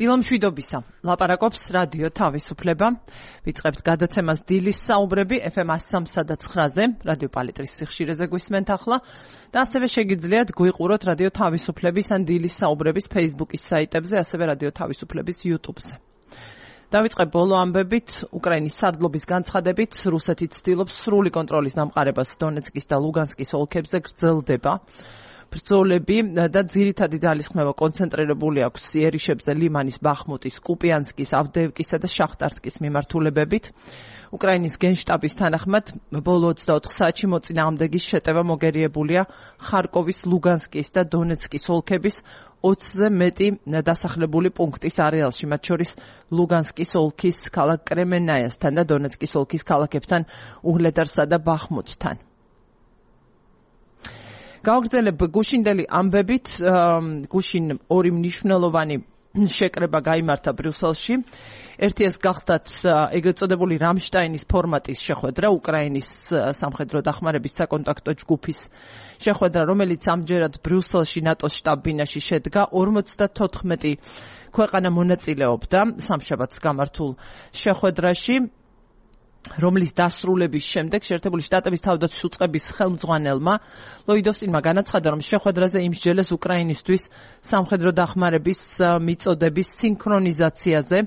დილომშვიდობისა. ლაპარაკობს რადიო თავისუფლება. ვიწყებთ გადაცემას დილის საუბრები FM 103.9-ზე, რადიო პალიტრის სიხშირეზე გვისმენთ ახლა და ასევე შეგიძლიათ გვიყუროთ რადიო თავისუფლების ან დილის საუბრების Facebook-ის საიტებზე, ასევე რადიო თავისუფლების YouTube-ზე. დავიწყებ ბოლო ამბებით, უკრაინის სარდლობის განცხადებით, რუსეთი ცდილობს სრული კონტროლის დამყარებას დონეცკის და ლუგანსკის ოლქებზე გრძელდება. ბრძოლები და ძირითადი ძალისხმევა კონცენტრირებული აქვს იერიშებზე, ლიმანის, ბახმუტის, კუპიანსკის, ავდეევკისა და შახტარსკის მიმართულებებით. უკრაინის გენშტაბის თანახმად, ბოლო 24 საათში მოწინააღმდეგის შეტევა მოგერიებულია ხარკოვის, ლუგანსკის და დონეცკის ოლქების 20-ზე მეტი დასახლებული პუნქტის არეალში, მათ შორის ლუგანსკის ოლქის ქალაქ კრემენაიასთან და დონეცკის ოლქის ქალაქებთან უჰლედარსა და ბახმუტთან. გავაგრძელებ გუშინდელი ამბებით, გუშინ ორი მნიშვნელოვანი შეკრება გაიმართა ბრიუსელში. ერთიას გახდათ ეგრეთ წოდებული რამშტაინის ფორმატის შეხვედრა, უკრაინის სამხედრო დახმარების საკონტაქტო ჯგუფის შეხვედრა, რომელიც ამჯერად ბრიუსელში ნატოს შტაბ-ბინაში შედგა. 54 ქვეყანა მონაწილეობდა სამშაბათს გამართულ შეხვედრაში, რომლის დასრულების შემდეგ შეერთებული შტატების თავდაცვის უწყების ხელმძღვანელმა ლოიდ ოსტინმა განაცხადა, რომ შეხვედრაზე იმსჯელეს უკრაინისთვის სამხედრო დახმარების მიწოდების სინქრონიზაციაზე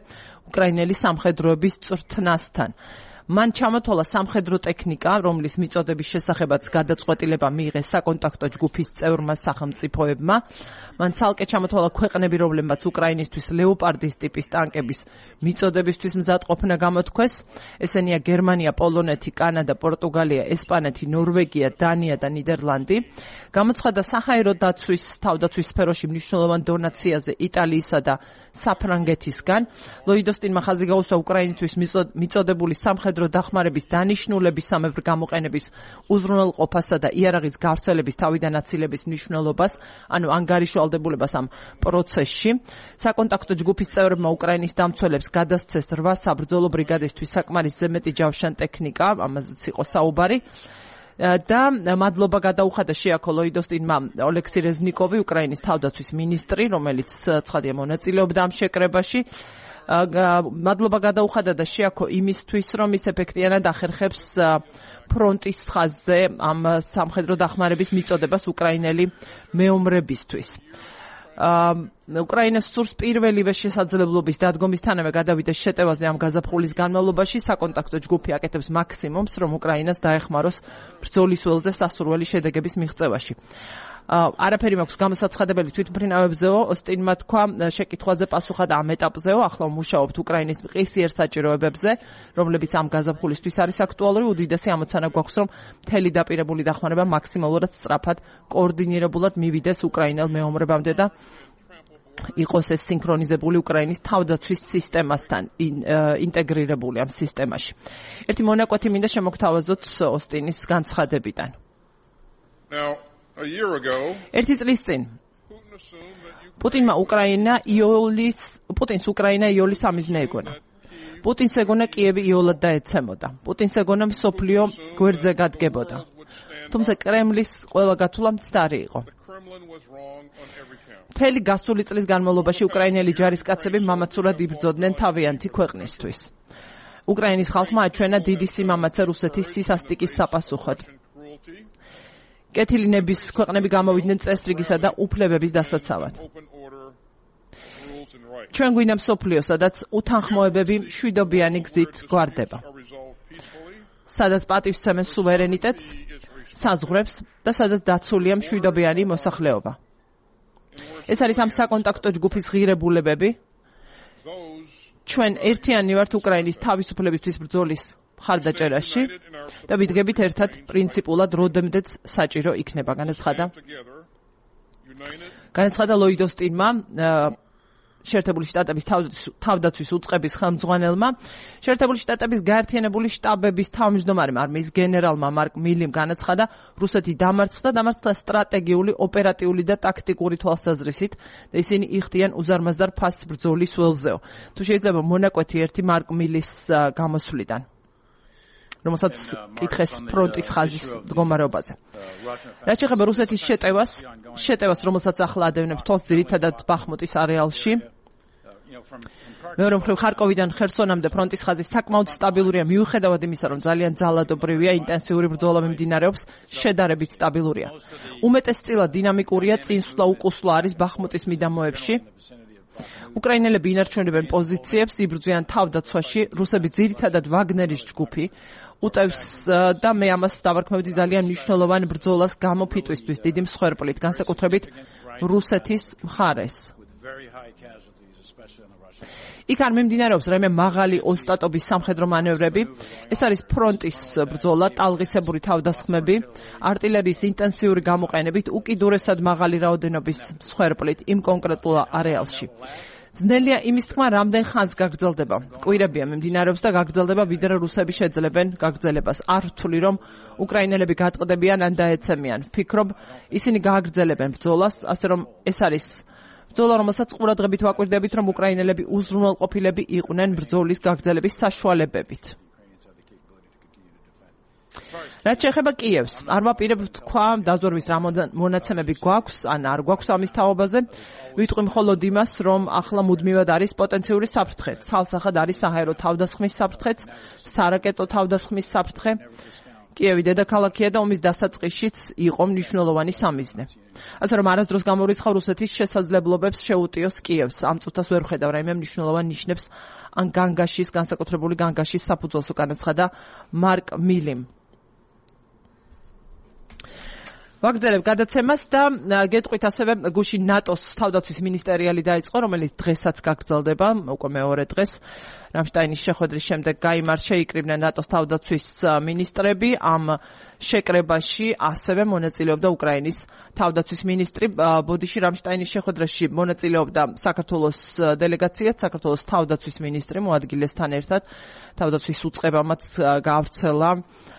უკრაინელი სამხედროების წვრთნასთან. მან ჩამოთვალა სამხედრო ტექნიკა, რომლის მიწოდების შესახებაც გადაწყვეტილება მიიღეს საკონტაქტო ჯგუფის წევრმა სახელმწიფოებმა. მან ცალკე ჩამოთვალა ქვეყნები, რომლებმაც უკრაინისთვის ლეოპარდის ტიპის ტანკების მიწოდებისთვის მზადყოფნა გამოთქვეს. ესენია გერმანია, პოლონეთი, კანადა, პორტუგალია, ესპანეთი, ნორვეგია, დანია და ნიდერლანდი. გამოცხადა საჰაერო დაცვის თავდაცვის სფეროში მნიშვნელოვან დონაციაზე იტალიისა და საფრანგეთისგან. ლოიდ ოსტინმა ხაზი გაუსვა უკრაინისთვის მიწოდებული სამხედრო დახმარების დანიშნულებისამებრ გამოყენების უზრუნველყოფასა და იარაღის გავრცელების თავიდან აცილების მნიშვნელობას, ანუ ანგარიშვალდებულებას ამ პროცესში. საკონტაქტო ჯგუფის წევრებმა უკრაინის დამცველებს გადასცეს 8 საბრძოლო ბრიგადისთვის საკმარისზე მეტი ჯავშან ტექნიკა, ამაზეც იყო საუბარი. და მადლობა გადაუხადა შეაქო ლოიდ ოსტინმა ოლექსი რეზნიკოვი, უკრაინის თავდაცვის მინისტრი, რომელიც ცხადია მონაწილეობდა ამ შეკრებაში. მადლობა გადაუხადა და შეაქო იმისთვის, რომ ის ეფექტიანად ახერხებს ფრონტის ხაზზე ამ სამხედრო დახმარების მიწოდებას უკრაინელი მეომრებისთვის. უკრაინას სურს პირველივე შესაძლებლობის დადგომისთანავე გადავიდეს შეტევაზე ამ გაზაფხულის განმავლობაში. საკონტაქტო ჯგუფი აკეთებს მაქსიმუმს, რომ უკრაინას დაეხმაროს ბრძოლის ველზე სასურველი შედეგების მიღწევაში. არაფერი მაქვს გამოსაცხადებელი თვითმფრინავებზეო, ოსტინმა თქვა, შეკითხვაზე პასუხა და ამ ეტაპზეო, ახლა მუშაობთ უკრაინის მყისიერ საჭიროებებზე, რომლებიც ამ გაზაფხულისთვის არის აქტუალური. უდიდესი ამოცანა გვაქვს, რომ მთელი დაპირებული დახმარება მაქსიმალურად სწრაფად, კოორდინირებულად მივიდეს უკრაინელ მეომრებამდე და იყოს ეს სინქრონიზებული უკრაინის თავდაცვის სისტემასთან ინტეგრირებული ამ სისტემაში. ერთი მონაკვეთი მინდა შემოგთავაზოთ ოსტინის განცხადებიდან. ერთი წლის წინ პუტინს უკრაინა იოლის სამიზნე ეგონა. პუტინს ეგონა კიევი იოლად დაეცემოდა. პუტინს ეგონა მსოფლიო გვერდზე გადგებოდა. თუმცა კრემლის ყველა გათვლა მცდარი იყო. მთელი გასული წლის განმავლობაში უკრაინელი ჯარისკაცები მამაცურად იბრძოდნენ თავიანთი ქვეყნისთვის. უკრაინის ხალხმა აჩვენა დიდი სიმამაცე რუსეთის სისასტიკის საპასუხოდ. კეთილინების ქვეყნები გამოვიდნენ წესრიგისა და უფლებების დასაცავად. ჩვენ გვინდა მსოფლიო, სადაც უთანხმოებები მშვიდობიანი გზით გვარდება. სადაც პატივსცემენ სუვერენიტეტს, საზღვრებს და სადაც დაცულია მშვიდობიანი მოსახლეობა. ეს არის ამ საკონტაქტო ჯგუფის ღირებულებები. ჩვენ ერთიანი ვართ უკრაინის თავისუფლებისთვის ბრძოლის მხარდაჭერაში და ვიდგებით ერთად პრინციპულად როდემდეც საჭირო იქნება. განაცხადა ლოიდ ოსტინმა, შეერთებული შტატების თავდაცვის უწყების ხელმძღვანელმა. შეერთებული შტატების გაერთიანებული შტაბების თავმჯდომარემ არმიის გენერალმა მარკ მილიმ განაცხადა, რუსეთი დამარცხდა სტრატეგიული, ოპერატიული და ტაქტიკური თვალსაზრისით და ისინი იხდიან უზარმაზარ ფასს ბრძოლის ველზეო. თუ შეიძლება მონაკვეთი ერთი მარკ მილის გამოსვლიდან, რომელსაც კითხეს ფრონტის ხაზის მდგომარეობაზე. რაც შეეხება რუსეთის შეტევას, რომელსაც ახლა ადევნებ თვალს ძირითადად ბახმუტის არეალში, მეორე მხრივ ხარკოვიდან ხერსონამდე ფრონტის ხაზი საკმაოდ სტაბილურია მიუხედავად იმისა, რომ ძალიან ძალადობრივია, ინტენსიური ბრძოლა მიმდინარეობს, შედარებით სტაბილურია. უმეტესწილად დინამიკურია, წინსვლა-უკუსვლა არის ბახმუტის მიდამოებში. უკრაინელები ინარჩუნებენ პოზიციებს, იბრძვიან თავდაცვაში, რუსები ძირითადად ვაგნერის ჯგუფი უტევს და მე ამას დავარქმევდი ძალიან მნიშვნელოვან ბრძოლას გამოფიტვისთვის დიდი მსხვერპლით, განსაკუთრებით რუსეთის მხარეს. იქ არ მიმდინარეობს რაიმე მაღალი ოსტატობის სამხედრო მანევრები, ეს არის ფრონტის ბრძოლა, ტალღისებური თავდასხმები, артиლერიის ინტენსიური გამოყენებით, უკიდურესად მაღალი რაოდენობის მსხვერპლით იმ კონკრეტულ არეალში. ძნელია იმის თქმა, რამდენ ხანს გაგრძელდება. კვირებია მიმდინარეობს და გაგრძელდება, ვიდრე რუსები შეძლებენ გაგრძელებას. არ ვთვლი, რომ უკრაინელები გატყდებიან ან დაეცემიან. ვფიქრობ, ისინი გააგრძელებენ ბრძოლას, ასე რომ ეს არის ბრძოლა, რომელსაც ყურადღებით ვაკვირდებით, რომ უკრაინელები უზრუნველყოფილები იყვნენ ბრძოლის გაგრძელების საშუალებებით. რაც შეეხება კიევს, არ ვაპირებ თქვა, დაზვერვის რა მონაცემები გვაქვს, ან არ გვაქვს ამის თაობაზე. ვიტყვი მხოლოდ იმას, რომ ახლა მუდმივად არის პოტენციური საფრთხე. ცალსახად არის საჰაერო თავდასხმის საფრთხეც, სარაკეტო თავდასხმის საფრთხე. კიევი დედაქალაქია და ომის დასაწყისშიც იყო მნიშვნელოვანი სამიზნე. ასე რომ არასდროს გამორიცხავ რუსეთის შესაძლებლობებს შეუტიოს კიევს. ამ წუთას ვერ ვხედავ რაიმე მნიშვნელოვან ნიშნებს ან განგაშის, განსაკუთრებული განგაშის საფუძველს განაცხადა მარკ მილიმ. ვაგრძელებ გადაცემას და გეტყვით ასევე გუშინ ნატოს თავდაცვის მინისტერიალი დაიწყო, რომელიც დღესაც გაგრძელდება, უკვე მეორე დღეს. რამშტაინის შეხვედრის შემდეგ გაიმართ შეიკრიბნენ ნატოს თავდაცვის მინისტრები. ამ შეკრებაში ასევე მონაწილეობდა უკრაინის თავდაცვის მინისტრი. ბოდიში რამშტაინის შეხვედრაში მონაწილეობდა საქართველოს დელეგაციაც, საქართველოს თავდაცვის მინისტრი მოადგილესთან ერთად. თავდაცვის უწყებამაც გაავრცელა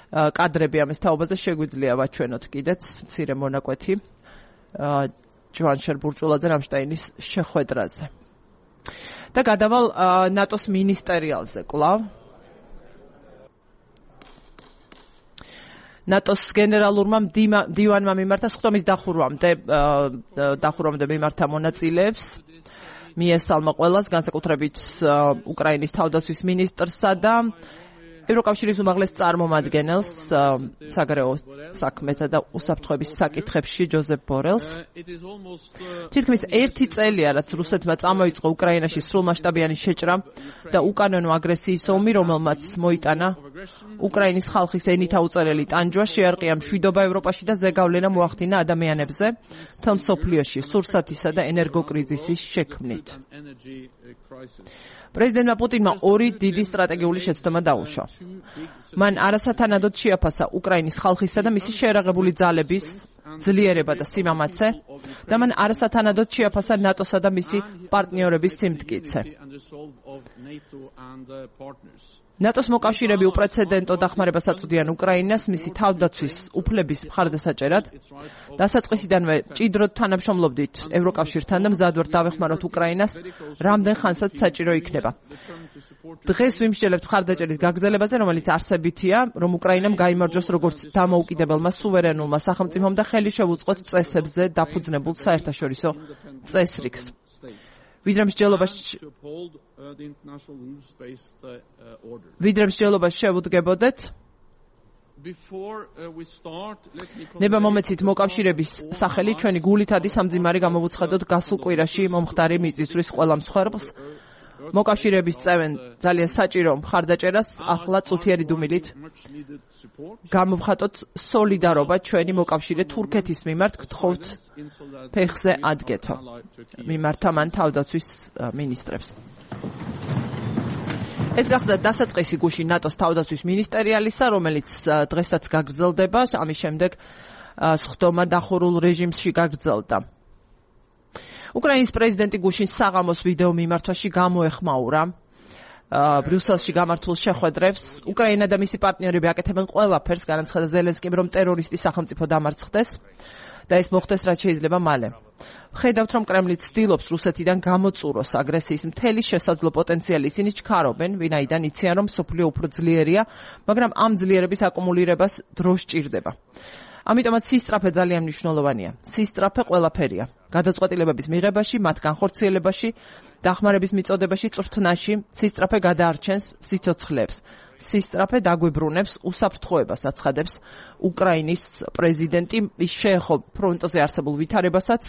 კადრები ამის თაობაზე, შეგვიძლია ვაჩვენოთ კიდეც მცირე მონაკვეთი ჯვანშერ ბურჭულაძე რამშტაინის შეხვედრაზე. და გადავალ ნატოს მინისტერიალზე კვლავ. ნატოს გენერალურმა დივანმა მიმართა სხდომის დახურვამდე მიმართა მონაწილეებს. მიესალმა ყველას, განსაკუთრებით უკრაინის თავდაცვის მინისტრსა და ევროკავშირის უმაღლეს წარმომადგენელს საგარეო საქმეთა და უსაფრთხოების საკითხებში ჯოზეფ ბორელს. თითქმის 1 წელია, რაც რუსეთმა წამოიწყო უკრაინაში სრულმასშტაბიანი შეჭრა და უკანონო აგრესიის ომი, რომელმაც მოიტანა უკრაინის ხალხის ენით აუწერელი ტანჯვა, შეარყია მშვიდობა ევროპაში და ზეგავლენა მოახდინა ადამიანებზე, მთელ მსოფლიოში სურსათისა და ენერგოკრიზისის შექმნით. პრეზიდენტმა პუტინმა 2 დიდი სტრატეგიული შეცდომა დაუშვა. მან არასათანადოდ შეაფასა უკრაინის ხალხისა და მისი შეერაღებული ძალების ძლიერება და სიმამაცე და მან არასათანადოდ შეაფასა ნატოსა და მისი პარტნიორების სიმტკიცე. ნატოს მოკავშირეები უპრეცედენტო დახმარებას აწვდიან უკრაინას მისი თავდაცვის უფლების მხარდასაჭერად. დასაწყისიდანვე ჭიდროდ თანამშრომლობდით ევროკავშირთან და მზად ვართ დავეხმაროთ უკრაინას, რამდენ ხანსაც საჭირო იქნება. დღეს ვიმსჯელებთ მხარდაჭერის გაგრძელებაზე, რომელიც არსებითია, რომ უკრაინამ გაიმარჯვოს როგორც დამოუკიდებელმა სუვერენულმა სახელმწიფომ და ხელი შევუწყოთ წესებზე დაფუძნებულ საერთაშორისო წესრიგს. ვიდრე მსჯელობას შევუდგებოდეთ, ნება მომეცით მოკავშირეების სახელი ჩვენი გულითადი სამძიმარი გამოვუცხადოთ გასულ კვირაში მომხდარი მიწისძვრის ყველა მსხვერპლს. მოკავშირეების წევენ ძალიან საჭირო მხარდაჭერას, ახლა წუთიერი დუმილით გამოვხატოთ სოლიდარობა ჩვენი მოკავშირე თურქეთის მიმართ, გთხოვთ ფეხზე ადგეთო. მიმართა მან თავდაცვის მინისტრებს. ეს გახდა დასაწყისი გუშინ ნატოს თავდაცვის მინისტერიალისა, რომელიც დღესაც გაგრძელდება, ამის შემდეგ სხდომა დახურულ რეჟიმში გაგრძელდა. უკრაინის პრეზიდენტი გუშინ საღამოს ვიდეო მიმართვაში გამოეხმაურა ბრიუსელში გამართულ შეხვედრებს. უკრაინა და მისი პარტნიორები აკეთებენ ყველაფერს, განაცხადა ზელენსკიმ, რომ ტერორისტის სახელმწიფო დამარცხდეს და ეს მოხდეს რაც შეიძლება მალე. ვხედავთ, რომ კრემლი ცდილობს რუსეთიდან გამოწუროს აგრესიის მთელი შესაძლო პოტენციალი. ისინი ჩქარობენ, ვინაიდან იციან, რომ მსოფლიო უფრო ძლიერია, მაგრამ ამ ძლიერების აკუმულირებას დრო სჭირდება. ამიტომაც სისწრაფე ძალიან მნიშვნელოვანია. სისწრაფე ყველაფერია. გადაწყვეტილებების მიღებაში, მათ განხორციელებაში, დახმარების მიწოდებაში, წვრთნაში, სისწრაფე გადაარჩენს სიცოცხლეებს. სისწრაფე დაგვიბრუნებს უსაფრთხოებას აცხადებს უკრაინის პრეზიდენტი. ის შეეხო ფრონტზე არსებულ ვითარებასაც,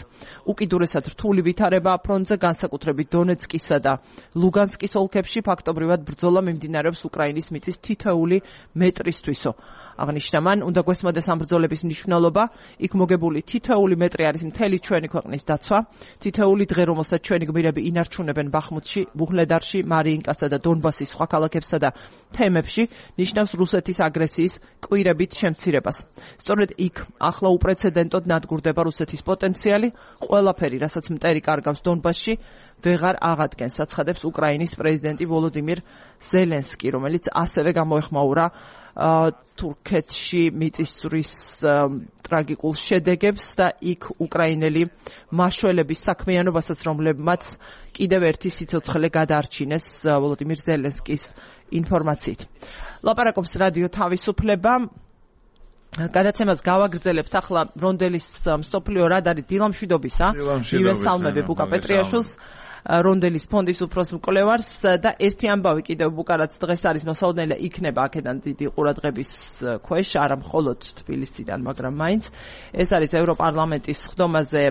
უკიდურესად რთული ვითარება ფრონტზე, განსაკუთრებით დონეცკისა და ლუგანსკის ოლქებში ფაქტობრივად ბრძოლა მიმდინარეობს უკრაინის მიწის თითოეული მეტრისთვისო. აღნიშნა მან, უნდა გვესმოდეს ამ ბრძოლების მნიშვნელობა, იქ მოგებული თითოეული მეტრი არის მთელი ჩვენი ქვეყნის დაცვა, თითოეული დღე, რომელსაც ჩვენი გმირები ინარჩუნებენ ბახმუთში, ვუჰლედარში, მარიინკასა და დონბასის სხვა ქალაქებსა და თემებში, ნიშნავს რუსეთის აგრესიის კვირებით შემცირებას. სწორედ იქ ახლა უპრეცედენტოდ ნადგურდება რუსეთის პოტენციალი, ყველაფერი, რასაც მტერი კარგავს დონბასში, ვეღარ აღადგენს, აცხადებს უკრაინის პრეზიდენტი ვოლოდიმირ ზელენსკი, რომელიც ასევე გამოეხმაურა თურქეთში მიწისძვრის ტრაგიკულ შედეგებს და იქ უკრაინელი მაშველების საქმიანობასაც, რომლებმაც კიდევ ერთი სიცოცხლე გადაარჩინეს ვოლოდიმირ ზელენსკის ინფორმაციით. ლაპარაკობს რადიო თავისუფლება. გადაცემას გავაგრძელებთ ახლა რონდელის მსოფლიო რადარი დილამშვიდობისა. მივესალმები ბუკა პეტრიაშვილს, რონდელის ფონდის უფროს მკვლევარს და ერთი ამბავი კიდევ ბუკარაც დღეს არის მოსაოდნელი, იქნება აქედან დიდი ყურადღების ქვეშ, არა მხოლოდ თბილისიდან, მაგრამ მაინც. ეს არის ევროპარლამენტის ხდომაზე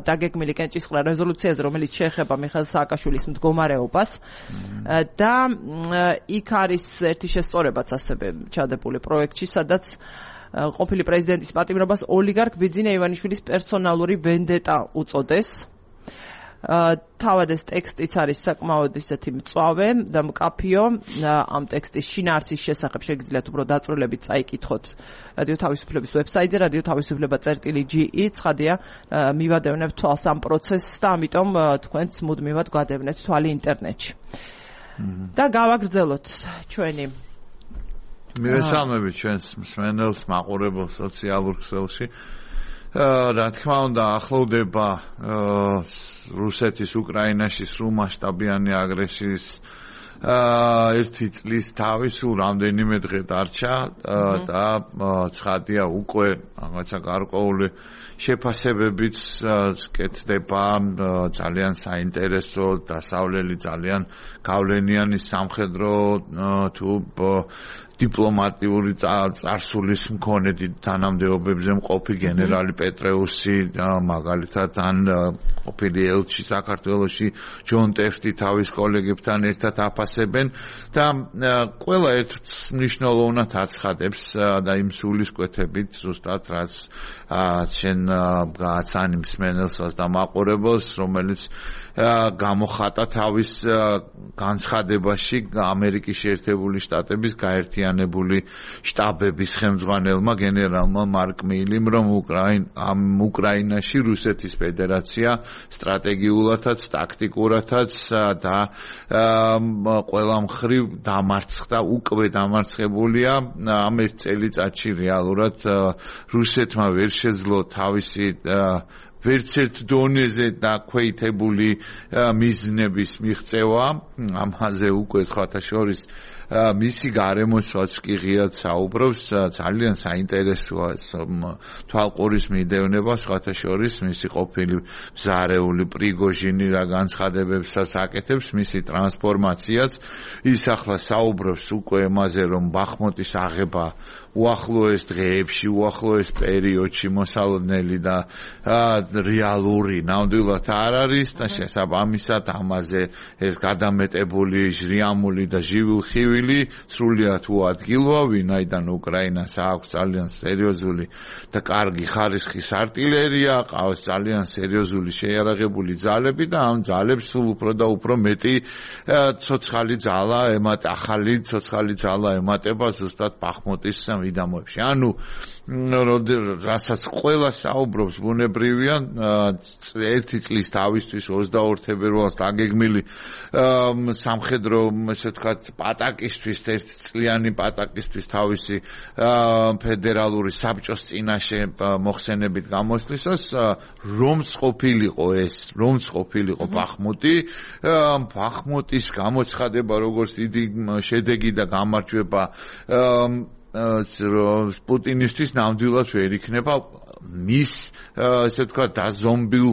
დაგეგმილი კენჭისყრა რეზოლუციაზე, რომელიც შეეხება მიხეილ სააკაშვილის მდგომარეობას და იქ არის ერთი შესწორებაც ასევე ჩადებული პროექტში, სადაც ყოფილი პრეზიდენტის პატიმრობას ოლიგარქ ბიძინა ივანიშვილის პერსონალური ვენდეტა უწოდეს. თავად ეს ტექსტიც არის საკმაოდ ისეთი მწვავე და მკაფიო. ამ ტექსტის შინაარსის შესახებ შეგიძლიათ უფრო დაწვრილებით წაიკითხოთ რადიო თავისუფლების ვებსაიტზე radiotavisupleba.ge. ცხადია, მივადევნებთ თვალს ამ პროცესს და ამიტომ თქვენც მუდმივად გვადევნეთ თვალი ინტერნეტში. და გავაგრძელოთ ჩვენი მივესალმებით ჩვენს მსმენელს, მაყურებელს სოციალურ ქსელში. რა თქმა უნდა, ახლოვდება რუსეთის უკრაინაში სრულმასშტაბიანი აგრესიის ერთი წლის თავი, სულ რამდენიმე დღე დარჩა და ცხადია უკვე რაღაცა გარკვეული შეფასებებიც კეთდება, ძალიან საინტერესო, დასავლელი, ძალიან გავლენიანი სამხედრო თუ დიპლომატიური წარსულის მქონე თანამდებობებზე მყოფი გენერალი პეტრეუსი, მაგალითად ან ყოფილი ელჩი საქართველოში ჯონ ტეფტი თავის კოლეგებთან ერთად აფასებენ და ყველა ერთს მნიშვნელოვნად აცხადებს და იმ სულისკვეთებით ზუსტად რაც ჩვენ გააცანი მსმენელსაც და მაყურებელს, რომელიც გამოხატა თავის განცხადებაში ამერიკის შეერთებული შტატების გაერთიანებული შტაბების ხელმძღვანელმა გენერალმა მარკ მილიმ, რომ უკრაინაში რუსეთის ფედერაცია სტრატეგიულადაც, ტაქტიკურადაც და ყველა მხრივ დამარცხდა, უკვე დამარცხებულია. ამ ერთ წელიწადში რეალურად რუსეთმა ვერ შეძლო თავისი ვერც ერთ დონეზე დაქვეითებული მიზნების მიღწევა. ამაზე უკვე სხვათა შორის მისი გარემოსვაც კი ღიად საუბრობს, ძალიან საინტერესოა თვალყურის მიდევნება, სხვათა შორის მისი ყოფილი მზარეული პრიგოჟინი რა განცხადებებსაც აკეთებს, მისი ტრანსფორმაციაც. ის ახლა საუბრობს უკვე იმაზე, რომ ბახმუტის აღება უახლოეს დღეებში, უახლოეს პერიოდში მოსალოდნელი და რეალური ნამდვილად არ არის და შესაბამისად ამაზე ეს გადამეტებული ჟრიამული და ჟივილხივილი სრულიად უადგილოა, ვინაიდან უკრაინას აქვს ძალიან სერიოზული და კარგი ხარისხის არტილერია, ყავს ძალიან სერიოზული შეიარაღებული ძალები და ამ ძალებს სულ უფრო და უფრო მეტი ცოცხალი ძალა ახალი ცოცხალი ძალა ემატება ზუსტად ბახმუტის მიდამოებში. ანუ რასაც ყველა საუბრობს ბუნებრივია, ერთი წლის თავისთვის 22 თებერვალს დაგეგმილი სამხედრო, ესე ვთქვათ, პატაკისთვის, ერთწლიანი პატაკისთვის თავისი ფედერალური საბჭოს წინაშე მოხსენებით გამოსვლისას, რომც ყოფილიყო ბახმუტი, ბახმუტის გამოცხადება როგორც დიდი შედეგი და გამარჯვება პუტინისთვის ნამდვილად ვერ იქნება მის ესე ვთქვათ დაზომბილ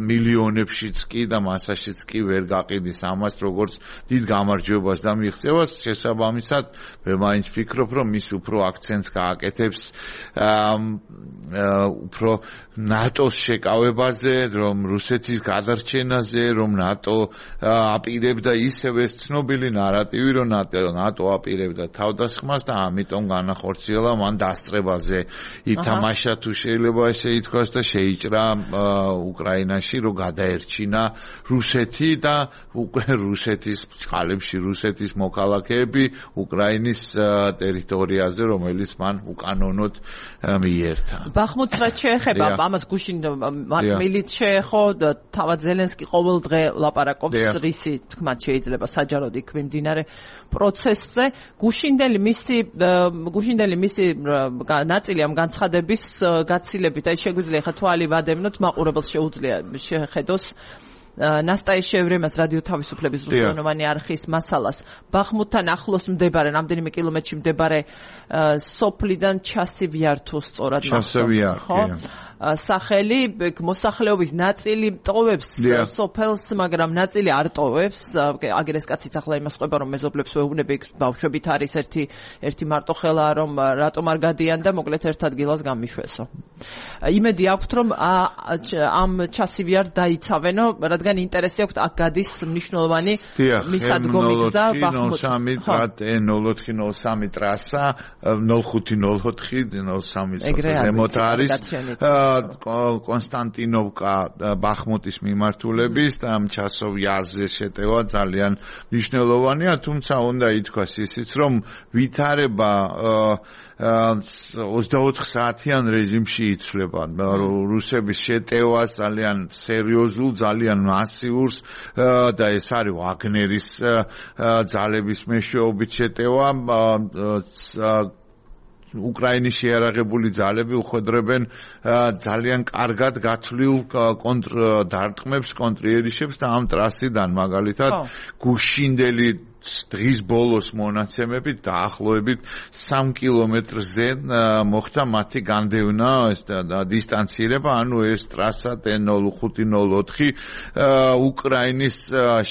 მილიონებშიც კი და მასაშიც კი ვერ გაყიდის ამას როგორც დიდ გამარჯვებას და მიღწევას შესაბამისად მე მაინც ვფიქრობ რომ მის უფრო აქცენტს გააკეთებს უფრო ნატოს შეკავებაზე რომ რუსეთის გადარჩენაზე რომ ნატო აპირებდა ისევე ცნობილი ნარატივი რომ ნატო აპირებდა თავდასხმას და ამიტომ განახორციელა მან დასწრებაზე ითამაშა თუ შეიძლება ესე ითქვას და შეიჭრა უკრაინაში რომ გადაერჩინა რუსეთი და რუსეთის წყალებში რუსეთის მოქალაქეები უკრაინის ტერიტორიაზე რომელიც მან უკანონოდ მიერთა. ბახმუტს რაც შეეხება ამას გუშინ მილიც შეეხო თავად ზელენსკი ყოველ დღე ლაპარაკობს რისი თქმაც შეიძლება საჯაროდ იქ მიმდინარე პროცესზე გუშინდელი მისი ნაწილი ამ განცხადების გაცილებით აი შეგვიძლია ხა თვალი ვადევნოთ მაყურებელს შეუძლია შეხედოს ნასტაის შევრემას რადიო თავისუფლების რუსულენოვანი არხის მასალას ბახმუტთან ახლოს მდებარე რამდენიმე კილომეტრში მდებარე სოფლიდან ჩასივიართო სწორად ხო სახელი მოსახლეობის ნაწილი ტოვებს სოფელს მაგრამ ნაწილი არ ტოვებს აგერეს კაციც ახლა იმას ყვება რომ მეზობლებს ვეუბნები ბავშვებით არის ერთი მარტო ხელა რომ რატომ არ გადიან და მოკლედ ერთ ადგილას გამიშვესო იმედი აქვთ რომ ამ ჩასივიართ დაიცავენო რადგან ინტერესი აქვთ აქ გადის მნიშვნელოვანი მისადგომი გზა ბახმუტი 0403 ტრასა 0504 ზემოთ არის კონსტანტინოვკა ბახმუტის მიმართულების და ამ ჩასოვიარზე შეტევა ძალიან მნიშვნელოვანია თუმცა უნდა ითქვას ისიც რომ ვითარება 24 საათიან რეჟიმში იცვლება რუსების შეტევა ძალიან სერიოზულ ძალიან მასიურს და ეს არის ვაგნერის ძალების მეშვეობით შეტევა უკრაინის შეიარაღებული ძალები უხვედრებენ ძალიან კარგად გათვლილ კონტრდარტყმებს, კონტრიერიშებს და ამ ტრასიდან მაგალითად გუშინდელი დღის ბოლოს მონაცემებით დაახლოებით 3 კილომეტრზე მოხდა მათი განდევნა და დისტანცირება, ანუ ეს ტრასა T0504 უკრაინის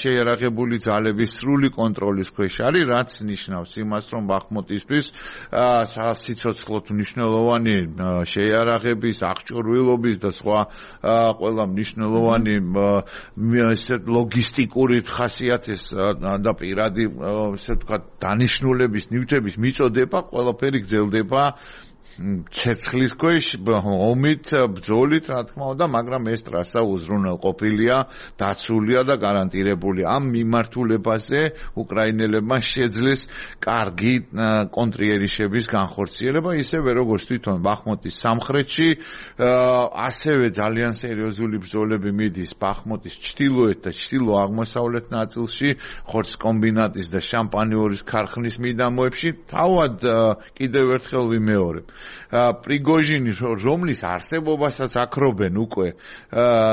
შეიარაღებული ძალების სრული კონტროლის ქვეშ არის, რაც ნიშნავს იმას, რომ ბახმუტისთვის სიცოცხლოდ მნიშვნელოვანი შეიარაღების, აღჭურვილობის და სხვა ყველა მნიშვნელოვანი ლოგისტიკური ხასიათის და პირადი ესე ვთქვათ დანიშნულების ნივთების მიწოდება ყველაფერი გრძელდება ცეცხლის ქვეშ ომით ბრძოლით რა თქმა უნდა მაგრამ ეს ტრასა უზრუნველყოფილია დაცულია და გარანტირებული ამ მიმართულებაზე უკრაინელებმა შეძლეს კარგი კონტრიერიშების განხორციელება ისევე როგორც თვითონ ბახმუტის სამხრეთში ასევე ძალიან სერიოზული ბრძოლები მიდის ბახმუტის ჩრდილოეთ და ჩრდილო-აღმოსავლეთ ნაწილში ხორცკომბინატის და შამპანიორის ქარხნის მიდამოებში თავად კიდევ ერთხელ ვიმეორებ პრიგოჟინი რომლის არსებობასაც აქრობენ უკვე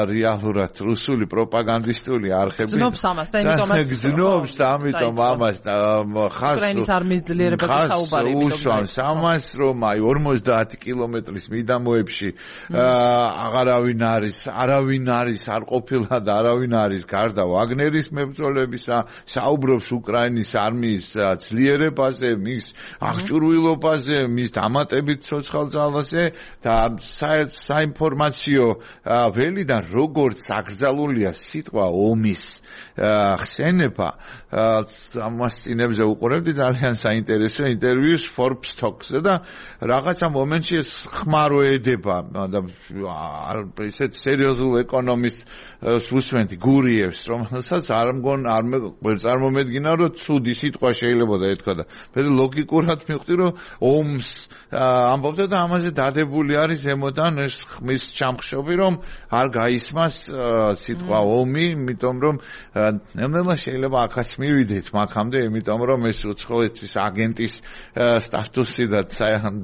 რეალურად რუსული პროპაგანდისტული არხები გზნობს ამას და ამიტომ ამას უკრაინის არმიის ძლიერებაზე საუბარი უსვამს ამას რომ აი 50 კილომეტრის მიდამოებში არავინ არის არ ყოფილა და არავინ არის გარდა ვაგნერის მებრძოლებისა საუბრობს უკრაინის არმიის ძლიერებაზე მის აღჭურვილობაზე მის დამატებით ცოცხალ ძალაზე და საინფორმაციო ველიდან როგორც აკრძალულია სიტყვა ომის ხსენება ამას წინებზე უყურებდი ძალიან საინტერესო ინტერვიუს Forbes Talks-ზე და რაღაცა მომენტში ეს ხმარო ედება და ისეთ სერიოზულ ეკონომისტს უსმენთ გურიევს რომელსაც არ წარმომედგინა რომ ცუდი სიტყვა შეიძლება და ეთქვა და მე ლოგიკურად მივხვდი რომ ომს ამბობდა და ამაზე დადებული არის ზემოდან ეს ხმის ჩამხშობი რომ არ გაისმას სიტყვა ომი იმიტომ რომ ნელ-ნელა შეიძლება ახაც მივიდეთ მაგამდე, იმიტომ რომ ეს უცხოეთის აგენტის სტატუსი და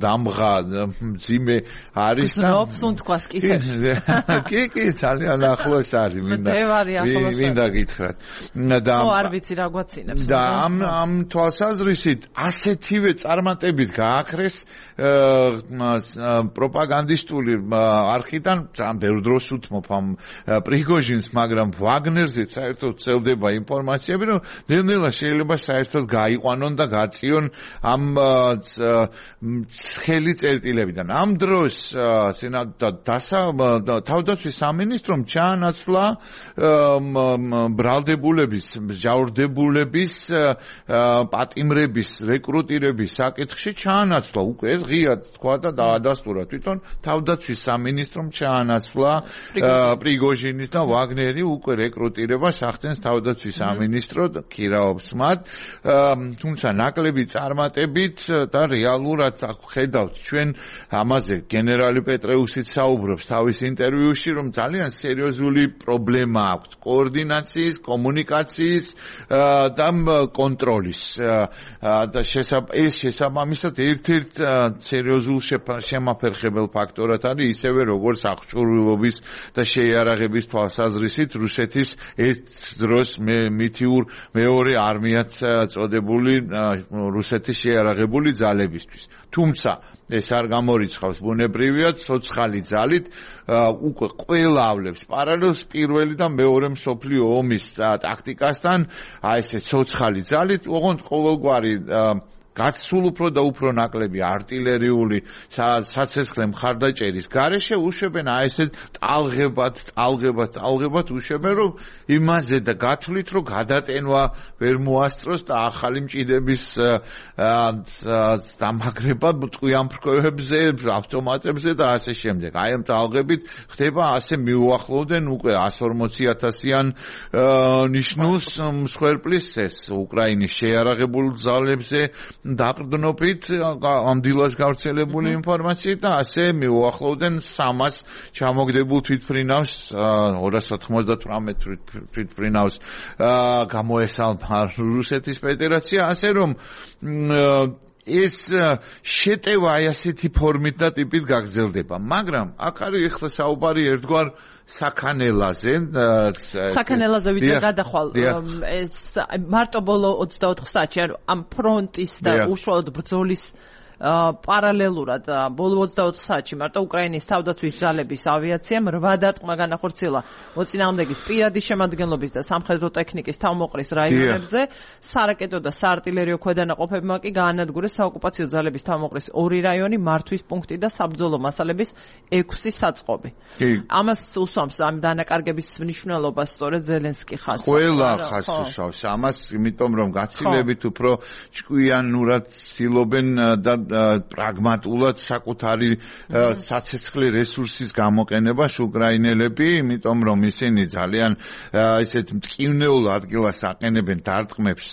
დამღა მძიმე არის და ოფსუნთქვას კი ძალიან ახლოს არის მინდა გითხრათ და არ ვიცი რა გვაცინებს და ამ თვალსაზრისით ასეთივე წარმატებით გააქრეს პროპაგანდისტული არხიდან ძალიან ბევრ დროს უთმობ ამ პრიგოჟინს, მაგრამ ვაგნერზე საერთოდ ვრცელდება ინფორმაციები, რომ ნელ-ნელა შეიძლება საერთოდ გაიყვანონ და გაწიონ ამ ცხელი წერტილებიდან. ამ დროს თავდაცვის სამინისტრომ ჩაანაცვლა ბრალდებულების, მსჯავრდებულების პატიმრების, რეკრუტირების საკითხში ჩაანაცვლა უკვე ეს ღია თქვა და დაადასტურა თვითონ თავდაცვის სამინისტრომ ჩაანაცვლა პრიგოჟინის და ვაგნერი უკვე რეკრუტირებას ახდენს თავდაცვის სამინისტრო ქირაობს მათ, თუმცა ნაკლები წარმატებით და რეალურად ხედავთ ჩვენ ამაზე გენერალი პეტრეუსიც საუბრობს თავის ინტერვიუში, რომ ძალიან სერიოზული პრობლემა აქვს კოორდინაციის, კომუნიკაციის და კონტროლის და ეს შესაბამისად ერთ-ერთ სერიოზულ შემაფერხებელ ფაქტორად არის ისევე როგორც აღჭურვილობის და შეიარაღების თვალსაზრისით რუსეთის ერთ დროს მითიურ მეორე არმიად წოდებული რუსეთის შეიარაღებული ძალებისთვის. თუმცა ეს არ გამორიცხავს ბუნებრივია ცოცხალი ძალით უკვე ყველა ავლებს პარალელს პირველი და მეორე მსოფლიო ომის ტაქტიკასთან, ესე ცოცხალი ძალით, ოღონდ ყოველგვარი გაცულ უფრო და უფრო ნაკლები артиლერიული საცეცხლე მხარდაჭერის გარეშე უშვებენ ესეთ ტალღებად უშვებენ, რომ იმაზე და გათვლით, რომ გადატენვა ვერ მოასწროს და ახალი მჭიდების დამაგრება ტყვიან ფრქვევებზე, ავტომატებზე და ასე შემდეგ. აი ამ ტალღებით ხდება ასე მიუახლოვდნენ უკვე 140,000-იან ნიშნულს მსხვერპლის ეს უკრაინის შეიარაღებულ ძალებზე დაყრდნობით ამ დილას გავრცელებული ინფორმაციით და ასე მიუახლოვდნენ 300 ჩამოგდებულ თვითმფრინავს 298 თვითმფრინავს გამოესალმა რუსეთის ფედერაცია, ასე რომ ეს შეტევა ასეთი ფორმით და ტიპით გაგრძელდება, მაგრამ აქ არის ახლა საუბარი ერთგვარ საქანელაზე ვიდრე გადახვალ ეს მარტო ბოლო 24 საათში ამ ფრონტის და უშუალოდ ბრძოლის პარალელურად ბოლო 24 საათში მარტო უკრაინის თავდაცვის ძალების ავიაციამ 8 დარტყმა განახორციელა მოწინააღმდეგის პირადი შემადგენლობის და სამხედრო ტექნიკის თავმოყრის რაიონებზე, სარაკეტო და საარტილერიო ქვედანაყოფებმა კი გაანადგურეს საოკუპაციო ძალების თავმოყრის 2 რაიონი, მართვის პუნქტი და საბრძოლო მასალების 6 საწყობი. ამას უსვამს ამ დანაკარგების მნიშვნელობას სწორედ ზელენსკი ხაზს. ყველა ხაზს უსვამს ამას, იმიტომ რომ გაცილებით უფრო ჭკვიანურად ცდილობენ და პრაგმატულად საკუთარი საცეცხლე რესურსის გამოყენებას უკრაინელები, იმიტომ რომ ისინი ძალიან ისეთ მტკივნეულ ადგილას აყენებენ დარტყმებს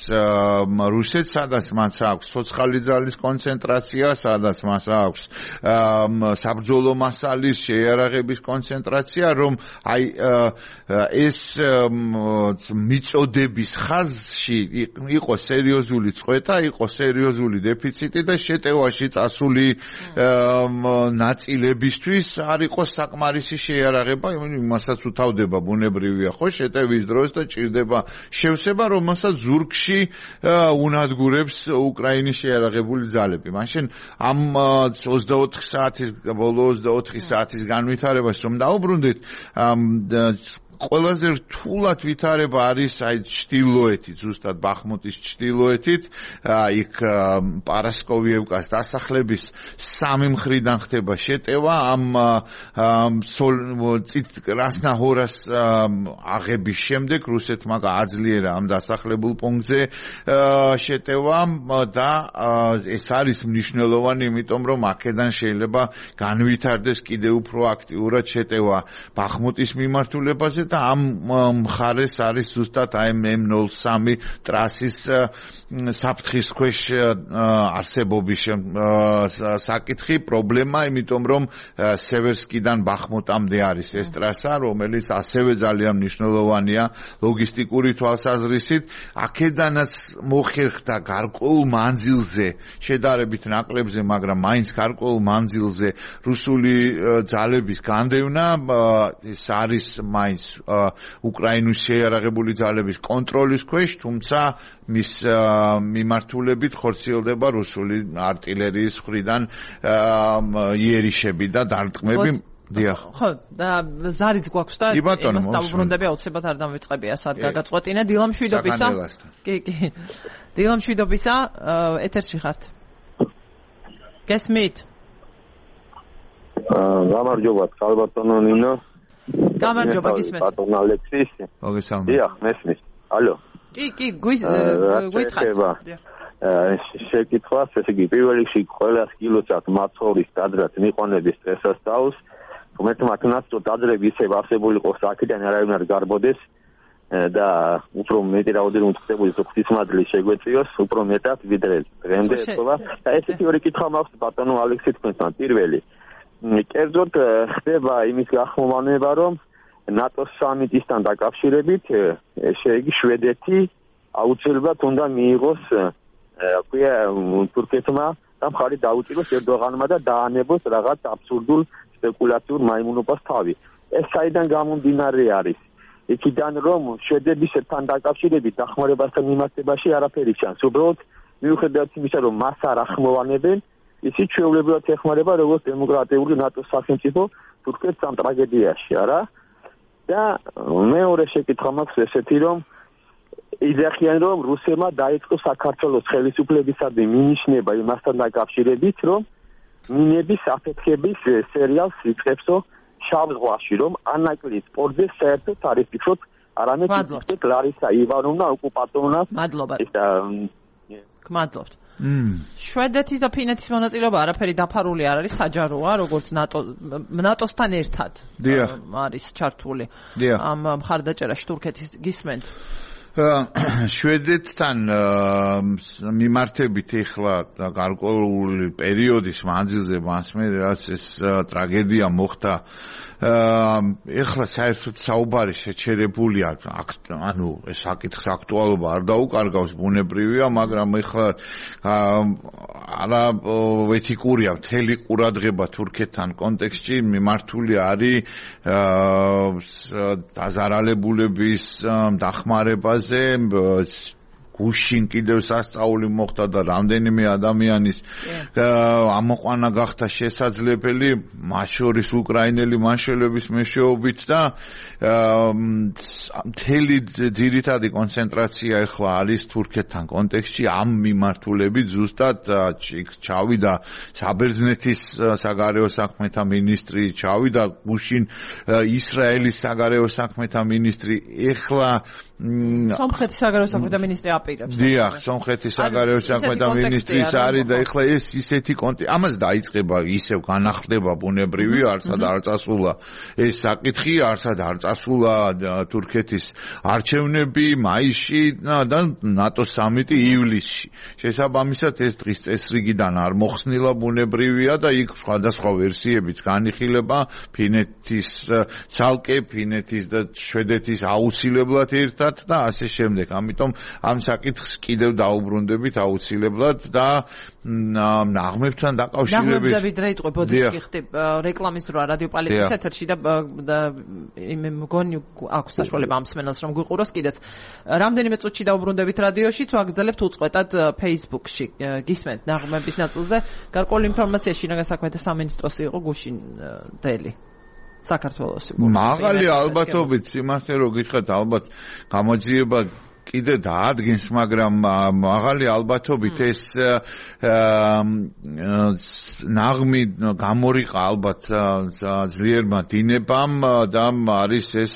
რუსეთს, სადაც მას აქვს ცოცხალი ძალის კონცენტრაცია, სადაც მას აქვს საბრძოლო მასალის შეიარაღების კონცენტრაცია, რომ აი ეს მიწოდების ხაზში იყო სერიოზული წყვეტა, იყო სერიოზული დეფიციტი და შეტევაში წასული ნაწილებისთვის არ იყო საკმარისი შეიარაღება, იმასაც უთავდება ბუნებრივია ხო შეტევის დროს და ჭირდება შევსება, რომელსაც ზურგში უნადგურებს უკრაინის შეიარაღებული ძალები. მაშინ ამ 24 საათის ბოლო 24 საათის განვითარებას რომ დაუბრუნდით, ყველაზე რთულად ვითარება არის აი ჩtildeოეთით, ზუსტად ბახმუტის ჩtildeოეთით, იქ პარასკოვიევკას დასახლების სამი მხრიდან ხდება შეტევა, ამ კრასნაჰორას აღების შემდეგ რუსეთმა გააძლიერა ამ დასახლებულ პუნქტზე შეტევა და ეს არის მნიშვნელოვანი, იმიტომ რომ აქედან შეიძლება განვითარდეს კიდევ უფრო აქტიურად შეტევა ბახმუტის მიმართულებაზე და ამ მხარეს არის ზუსტად აი M03 ტრასის საფრთხის ქვეშ არსებობის საკითხი, პრობლემა, იმიტომ რომ სევერსკიდან ბახმუტამდე არის ეს ტრასა, რომელიც ასევე ძალიან მნიშვნელოვანია ლოგისტიკური თვალსაზრისით. აქედანაც მოხერხდა გარკვეულ მანძილზე, შედარებით ნაკლებზე, მაგრამ მაინც გარკვეულ მანძილზე რუსული ძალების განდევნა, ეს არის მაინც უკრაინის შეიარაღებული ძალების კონტროლის ქვეშ, თუმცა მის მიმართულებით ხორციელდება რუსული არტილერიის მხრიდან იერიშები და დარტყმები. დიახ. ხო, და ზარიც გვაქვს და იმას დავუბრუნდები აუცილებლად არ დამვიწყებია სად გაგაწყვეტინა დილამშვიდობისა. კი. დილამშვიდობისა, ეთერში ხართ. გესმით? გამარჯობა, ქალბატონო ნინო. გამარჯობა, გისმენთ. ბატონ ალექსის. მოგესალმებით. დიახ, მესმის. ალო. კი, გვითხრათ. შეკითხვას, ესე იგი, პირველ რიგში ყველას კილოცად მაცხოვრის დაძრაც მიყვანების წესასწაულს, თუმცა მათნაცო დაძრები ისევ არსებული იყოს აქედან არავინ არ გარბოდეს და უფრო მეტი რაოდენობით ხდებული ღვთისმადლი შეგვეწიოს, უფრო მეტად ვიდრე დღემდე ეთქვა. და ესეთი ორი კითხვა მაქვს ბატონო ალექსი თქვენთან. პირველი, კერძოდ ხდება იმის გახმოვანება, რომ ნატოს სამიტისთან დაკავშირებით შეიგი შვედეთი აუცილებლად უნდა მიიღოს თურქეთმა და მხარი დაუჭიროს ერდოღანმა და დაანებოს რაღაც აბსურდულ სპეკულაციურ მაიმუნობას თავი. ეს საიდან გამომდინარე არის? იქიდან რომ შვედებისთან დაკავშირებით დახმარებასთან მიმართებაში არაფერი ჩანს. უბრალოდ მიუხედავად იმისა, რომ მას არ ახმოვანებენ, ისიც ჩვეულებრივად ეხმარება როგორც დემოკრატიული ნატოს სახელმწიფო თურქეთს ამ ტრაგედიაში, არა? და მეორე შეკითხვა მაქვს ესეთი, რომ იძახიან, რომ რუსებმა დაიწყო საქართველოს ხელისუფლებისადმი მინიშნება იმასთან დაკავშირებით, რომ მინების აფეთქების სერიალს იწყებსო შავ ზღვაში, რომ ანაკლის სპორტზე საერთოდ არ იფიქროთ, არამედ იფიქრეთ ლარისა ივანოვნა ოკუპატორნა. მადლობა. გმადლობთ. შვედეთის და ფინეთის მონაწილეობა არაფერი დაფარული არ არის, საჯაროა, როგორც ნატოსთან ერთად არის ჩართული ამ მხარდაჭერაში თურქეთის. გისმენთ? შვედეთთან მიმართებით ეხლა გარკვეული პერიოდის მანძილზე მასმე რაც ეს ტრაგედია მოხდა, ეხლა საერთოდ საუბარი შეჩერებულია, ანუ ეს საკითხის აქტუალობა არ დაუკარგავს, ბუნებრივია, მაგრამ ეხლა არა ეთიკურია მთელი ყურადღება თურქეთთან კონტექსტში მიმართული არის დაზარალებულების დახმარებაზე. გუშინ კიდევ სასწაული მოხდა და რამდენიმე ადამიანის ამოყვანა გახდა შესაძლებელი, მათ შორის უკრაინელი მაშველების მეშვეობით და მთელი ძირითადი კონცენტრაცია ახლა არის თურქეთთან კონტექსტში ამ მიმართულებით. ზუსტად ჩავიდა საბერძნეთის საგარეო საქმეთა მინისტრი, ჩავიდა გუშინ ისრაელის საგარეო საქმეთა მინისტრი, ეხლა სომხეთის საგარეო საქმეთა მინისტრი აპირებს. დიახ, სომხეთის საგარეო საქმეთა მინისტრის არის და ეხლა ეს ისეთი ამას დაიწყება, ისევ განახლდება ბუნებრივი, არსად არ წასულა ეს საკითხი, არსად არ წასულა თურქეთის არჩევნები მაისში და ნატოს სამიტი ივლისში. შესაბამისად ეს დღის წესრიგიდან არ მოხსნილა ბუნებრივია და იქ სხვადასხვა ვერსიებიც განიხილება, ფინეთის ცალკე, ფინეთის და შვედეთის აუცილებლად ერთად და ასე შემდეგ. ამიტომ ამ საკითხს კიდევ დაუბრუნდებით აუცილებლად და ნაღმებთან დაკავშირებით. ნაღმებები დრე იყო ბოდიშკი ხდება რეკლამის დრო რადიო პალეტის ეთერში და მგონი აქვს საშუალება ამ სმენელს რომ გვიყუროს კიდეც. რამდენიმე წუთში დაუბრუნდებით რადიოში, თუ აგრძელებთ უწყვეტად Facebook-ში. გისმენთ ნაღმების ნაწილზე გარკვეული ინფორმაცია შინაგან საქმეთა სამინისტროს იყო გუშინ დელი. საქართველოს მაღალი ალბათობით სიმართლე რო გითხრათ, ალბათ გამოძიება კიდე დაადგენს, მაგრამ მაღალი ალბათობით ეს ნაღმი გამორიყა ალბათ ძლიერმა დინებამ და არის ეს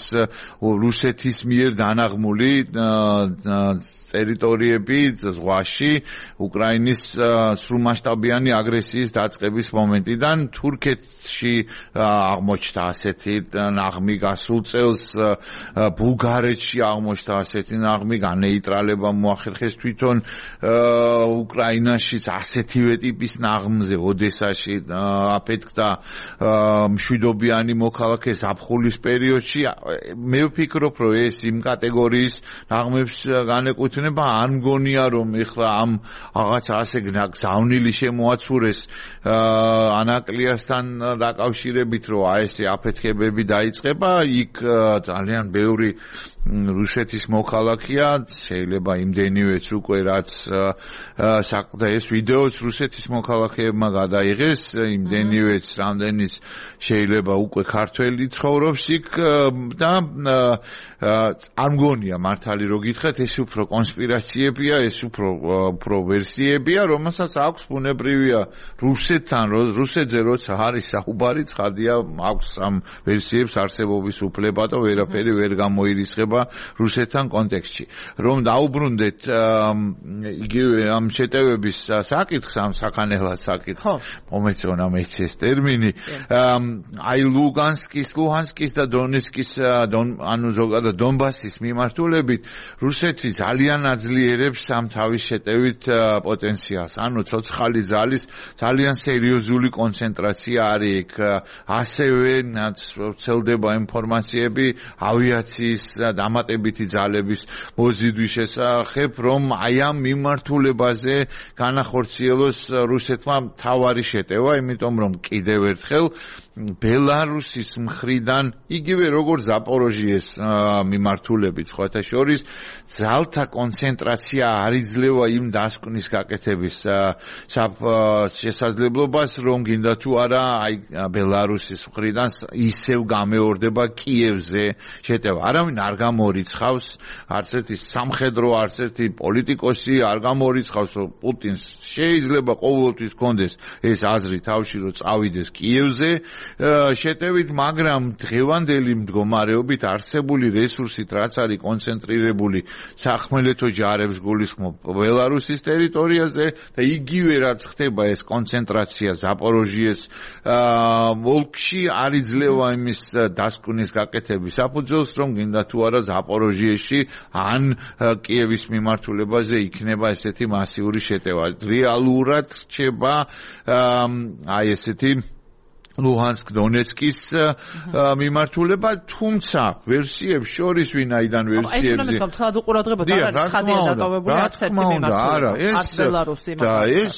რუსეთის მიერ დანაღმული ტერიტორიები ზღვაში უკრაინის სრულმასშტაბიანი აგრესიის დაწყების მომენტიდან თურქეთში აღმოჩნდა ასეთი ნაღმი გასულ წელს ბულგარეთში აღმოჩნდა ასეთი ნაღმი განეიტრალება მოახერხეს თვითონ უკრაინაშიც ასეთივე ტიპის ნაღმზე ოდესაში აფეთქდა მშვიდობიანი მოქალაქე ზაფხულის პერიოდში მე ვფიქრობ რომ ეს იმ კატეგორიის ნაღმებს განეკუთვნება არ მგონია რომ ეხლა ამ რაღაც ასე გზავნილი შემოაცურეს ანაკლიასთან დაკავშირებით რომ აი ესე აფეთქებები დაიწყება იქ ძალიან ბევრი რუსეთის მოქალაქეა შეიძლება იმდენივეც უკვე რაც და ეს ვიდეოც რუსეთის მოქალაქეებმა გადაიღეს იმდენივეც რამდენიც შეიძლება უკვე ქართველი ცხოვრობს იქ და არ მგონია მართალი რო გითხრათ ეს უფრო კონსპირაციებია ეს უფრო ვერსიებია რომელსაც აქვს ბუნებრივია რუსეთთან რუსეთზე როცა არის საუბარი ცხადია აქვს ამ ვერსიებს არსებობის უფლება და ვერაფერი ვერ გამოირიცხება რუსეთთან კონტექსტში რომ დაუბრუნდეთ იგივე ამ შეტევების საკითხს ამ საქანელად საკითხს მომეწონა მეც ეს ტერმინი აი ლუჰანსკის და დონეცკის ანუ ზოგადად დონბასის მიმართულებით რუსეთი ძალიან აძლიერებს ამ თავის შეტევით პოტენციალს ანუ ცოცხალი ძალის ძალიან სერიოზული კონცენტრაცია არის იქ ასევე ვრცელდება ინფორმაციები ავიაციის დამატებითი ძალების მოზიდვის შესახებ, რომ აი ამ მიმართულებაზე განახორციელოს რუსეთმა მთავარი შეტევა, იმიტომ რომ კიდევ ერთხელ ბელარუსის მხრიდან იგივე როგორც ზაპოროჟიეს მიმართულებით სხვათა შორის ძალთა კონცენტრაცია არ იძლევა იმ დასკვნის გაკეთების შესაძლებლობას რომ გინდა თუ არა აი ბელარუსის მხრიდან ისევ გამეორდება კიევზე შეტევა არავინ არ გამორიცხავს არც ერთი სამხედრო არც ერთი პოლიტიკოსი არ გამორიცხავს რომ პუტინს შეიძლება ყოველთვის კონდეს ეს აზრი თავში რომ წავიდეს კიევზე შეტევით, მაგრამ დღევანდელი მდგომარეობით არსებული რესურსით, რაც არის კონცენტრირებული სახმელეთო ჯარებს გულისხმობ ბელარუსის ტერიტორიაზე და იგივე რაც ხდება ეს კონცენტრაცია ზაპოროჟიეს ოლქში არ იძლევა იმის დასკვნის გაკეთების საფუძველს, რომ გინდა თუ არა ზაპოროჟიეში ან კიევის მიმართულებაზე იქნება ესეთი მასიური შეტევა. რეალურად რჩება აი ესეთი ლუჰანსკ დონეცკის მიმართულება, თუმცა ვერსიებს შორის ვინაიდან ვერსიებზე ეს თუმცა უყურადღებოდ არ არის ხადია დაკავებული არც ერთი მიმართულება არც ბელარუსი და ეს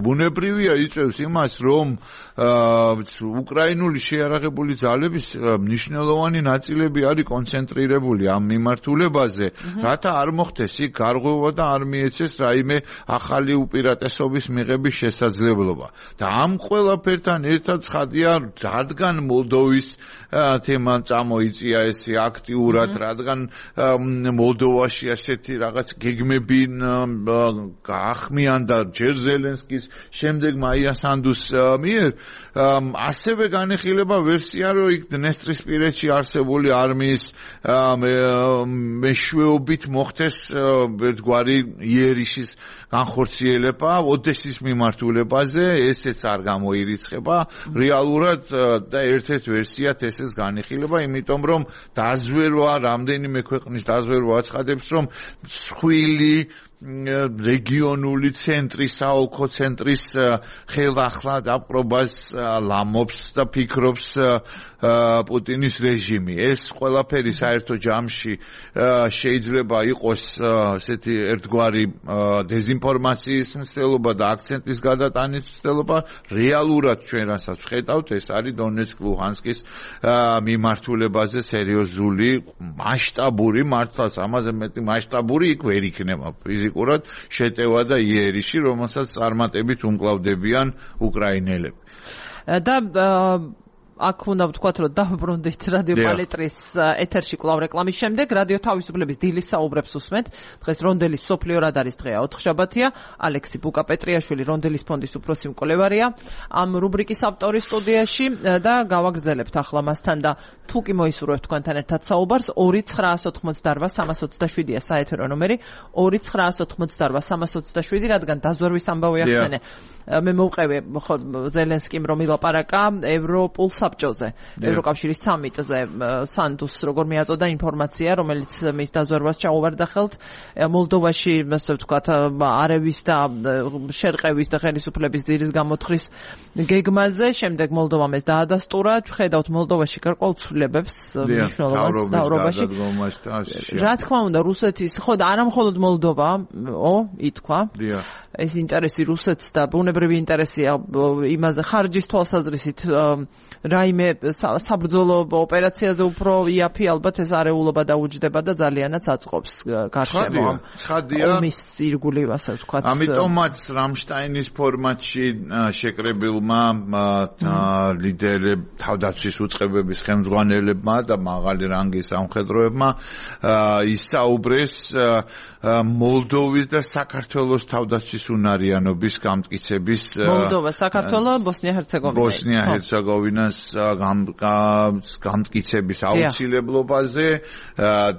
ბუნებრივია იწევს იმას რომ უკრაინული შეიარაღებული ძალების მნიშვნელოვანი ნაწილები არის კონცენტრირებული ამ მიმართულებაზე რათა არ მოხდეს იქ გარღვევა და არ მიეცეს რაიმე ახალი უპირატესობის მიღების შესაძლებლობა და ამ ყველაფერთან ერთად ცხადია, რადგან მოლდოვის თემა წამოიწია ესე აქტიურად, რადგან მოლდოვაში ასეთი რაღაც გეგმები გაახმიანდა ჯერ ზელენსკის, შემდეგ მაია სანდუს მიერ, ასევე განეხილება ვერსია, რომ იქ დნესტრისპირეთში არსებული არმიის მეშვეობით მოხდეს ერთგვარი იერიშის განხორციელება ოდესის მიმართულებაზე, ესეც არ გამოირიცხება რეალურად და ერთ-ერთ ვერსიად ესეც განიხილება, იმიტომ რომ დაზვერვა, რამდენიმე ქვეყნის დაზვერვა აცხადებს, რომ მსხვილი რეგიონული ცენტრის, საოლქო ცენტრის ხელახლა დაპყრობას ლამობს და ფიქრობს პუტინის რეჟიმი. ეს ყველაფერი საერთო ჯამში შეიძლება იყოს ასეთი ერთგვარი დეზინფორმაციის მცდელობა და აქცენტის გადატანის მცდელობა. რეალურად ჩვენ რასაც ვხედავთ, ეს არის დონეცკ ლუჰანსკის მიმართულებაზე სერიოზული მასშტაბური, მართლაც ამაზე მეტი მასშტაბური იქ ვერ იქნება ფიზიკურად შეტევა და იერიში, რომელსაც წარმატებით უმკლავდებიან უკრაინელები. და აქ უნდა ვთქვათ, რომ დავბრუნდით რადიო პალეტრის ეთერში კვლავ რეკლამის შემდეგ. რადიო თავისუფლების დილის საუბრებს უსმენთ. დღეს რონდელის მსოფლიო რადარის დღეა, 4 შაბათია. ალექსი ბუკა-პეტრიაშვილი რონდელის ფონდის უფროსი მკვლევარია ამ რუბრიკის ავტორი სტუდიაში და გავაგრძელებთ ახლა მასთან და თუ კი მოისურვებთ თქვენთან ერთად საუბარს 2988327-ია საეთერო ნომერი 2988327, რადგან დაზვერვის ამბავი ახსენე. მე მოვყევი ზელენსკიმ რომ ილაპარაკა ევროპულ საბჭოზე, ევროკავშირის სამიტზე, სანდუს როგორ მიაწოდა ინფორმაცია, რომელიც მის დაზვერვას ჩაუვარდა ხელთ მოლდოვაში, ასე ვთქვათ, არევის და შერყევის და ხელისუფლების ძირის გამოთხრის გეგმაზე. შემდეგ მოლდოვამ ეს დაადასტურა. ხედავთ მოლდოვაში გარკვეულწვლებებს მნიშვნელოვანს დავრობაში. რა თქმა უნდა, რუსეთის, ხო და არა მხოლოდ მოლდოვა, ითქვა. ეს ინტერესი რუსეთს და ბუნებრივი ინტერესია იმაზე ხარჯის თვალსაზრისით რაიმე საბრძოლო ოპერაციაზე უფრო იაფი ალბათ ეს არეულობა დაუჯდება და ძალიანაც აწყობს გარშემო ომის ირგული, ასე ვთქვათ. ამიტომაც რამშტაინის ფორმატში შეკრებილმა ლიდერებ თავდაცვის უწყებების ხელმძღვანელებმა და მაღალი რანგის სამხედროებმა ისაუბრეს მოლდოვის და საქართველოს თავდაცვის უნარიანობის გამტკიცების მოლდოვა, საქართველო, ბოსნია-ჰერცეგოვინას გამტკიცების აუცილებლობაზე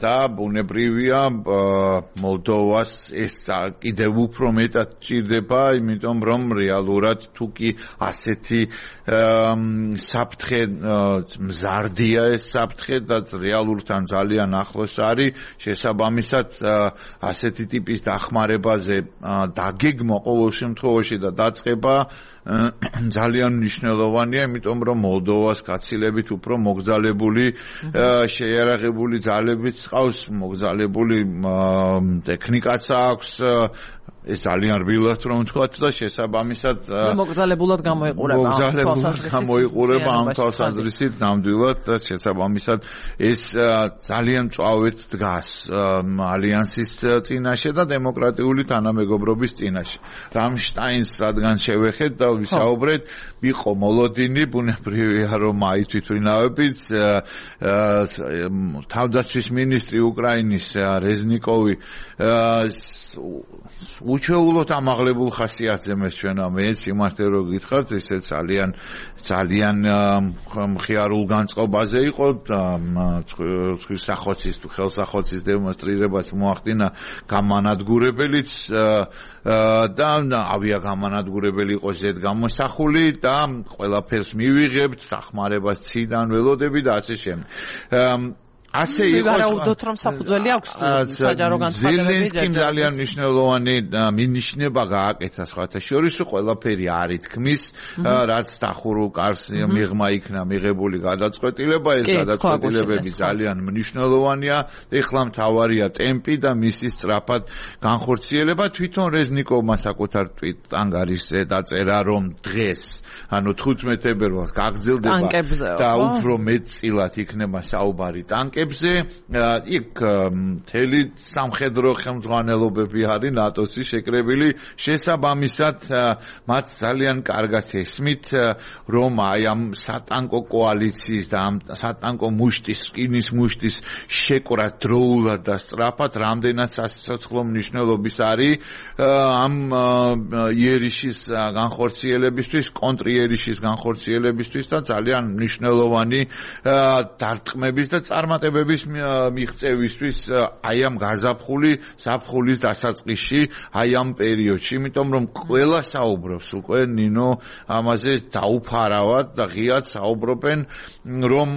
და ბუნებრივია მოლდოვას ეს კიდევ უფრო მეტად ჭირდება, იმიტომ რომ რეალურად თუ კი ასეთი საფრთხე მზარდია ეს საფრთხე და რეალურთან ძალიან ახლოს არის, შესაბამისად ასეთი ტიპის დახმარებაზე დაგეგმვა ყოველ შემთხვევაში და დაწყება ძალიან მნიშვნელოვანია, იმიტომ რომ მოლდოვას გაცილებით უფრო მოგზალებული შეიარაღებული ძალებიც ყავს, მოგზალებული ტექნიკაც აქვს, ეს ძალიან რბილად რომ ვთქვათ და შესაბამისად მოგზალებულად გამოიყურება ამ თვალსაზრისით ნამდვილად და შესაბამისად ეს ძალიან მწვავედ დგას ალიანსის წინაშე და დემოკრატიული თანამეგობრობის წინაშე. რამშტაინს რადგან შევეხეთ და ვისაუბრეთ, იყო მოლოდინი, ბუნებრივია რომ აი თვითმფრინავებით თავდაცვის მინისტრი უკრაინის რეზნიკოვი უჩვეულოდ ამაღლებულ ხასიათზე მესვენა მე სიმართლე რო გითხრათ, ესე ძალიან მხიარულ განწყობაზე იყო ხალხის თუ ხელსახოცის დემონსტრირებას მოახდინა გამანადგურებელიც და ავიაგამანადგურებელი იყო ზედ გამოსახული და ყველაფერს მივიღებთ, დახმარებას ციდან ველოდები და ასე შემდეგ. ასე იყო ვარაუდოთ რომ საფუძველი აქვს საჯარო განცხადებები. ზელენსკიმ ძალიან მნიშვნელოვანი მინიშნება გააკეთა სხვათა შორის, ყველაფერი არ ითქმის, რაც დახურულ კარს მიღმა იქნა მიღებული გადაწყვეტილება, ეს გადაწყვეტილებები ძალიან მნიშვნელოვანია. ეხლა მთავარია ტემპი და მისი სწრაფად განხორციელება. თვითონ რეზნიკოვმა საკუთარ ტვიტ-ანგარიშზე დაწერა, რომ დღეს, ანუ 15 თებერვალს გაგრძელდება და უფრო მეტწილად იქნება საუბარი ტანკებზე. იქ მთელი სამხედრო ხელმძღვანელობები არის ნატოსი შეკრებილი, შესაბამისად მათ ძალიან კარგად ესმით, რომ აი ამ სატანკო კოალიციის და ამ სატანკო მუშტის, რკინის მუშტის შეკვრა დროულად და სწრაფად რამდენად სასიცოცხლო მნიშვნელობის არის ამ იერიშის განხორციელებისთვის, კონტრიერიშის განხორციელებისთვის და ძალიან მნიშვნელოვანი დარტყმების და წარმატებების მიღწევისთვის აი ამ გაზაფხული ზაფხულის დასაწყისში, აი ამ პერიოდში, იმიტომ რომ ყველა საუბრობს უკვე ნინო ამაზე დაუფარავად და ღიად საუბრობენ, რომ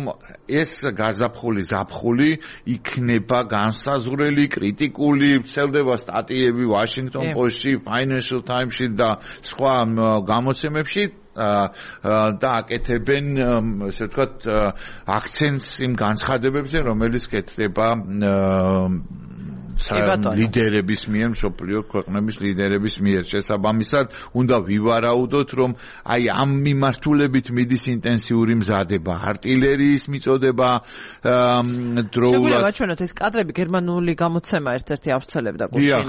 ეს გაზაფხული ზაფხული იქნება განსაზღვრელი, კრიტიკული, ვრცელდება სტატიები Washington Post-ში, Financial Times-ში და სხვა გამოცემებში და აკეთებენ, ესე ვთქვათ, აქცენტს იმ განცხადებებზე, რომელიც კეთდება ლიდერების მიერ, მსოფლიო ქვეყნების ლიდერების მიერ. შესაბამისად, უნდა ვივარაუდოთ, რომ აი ამ მიმართულებით მიდის ინტენსიური მზადება, артиლერიის მიწოდება დროულად. შეგვიძლია ვაჩვენოთ ეს კადრები გერმანული გამოცემა ერთ-ერთი ავრცელებდა გუშინ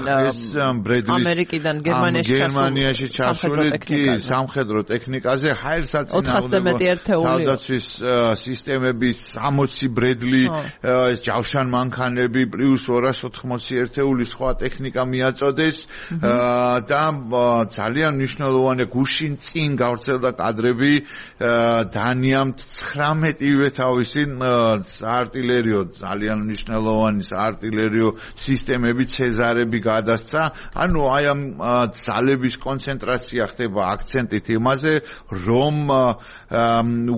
ამერიკიდან გერმანიაში ჩასული სამხედრო ტექნიკაზე ჰაერსაწინააღმდეგო თავდაცვის სისტემების 60 ბრედლი ეს ჯავშან მანქანები პლუს 280 ერთეული სხვა ტექნიკა მიაწოდეს და ძალიან მნიშვნელოვანი გუშინ წინ გავრცელდა კადრები დანიამ 19-ვე თავისი артиლერიო ძალიან მნიშვნელოვანი артиლერიო სისტემები ცეზარები გადასცა ანუ აი ამ ძალების კონცენტრაცია ხდება აქცენტით იმაზე რომ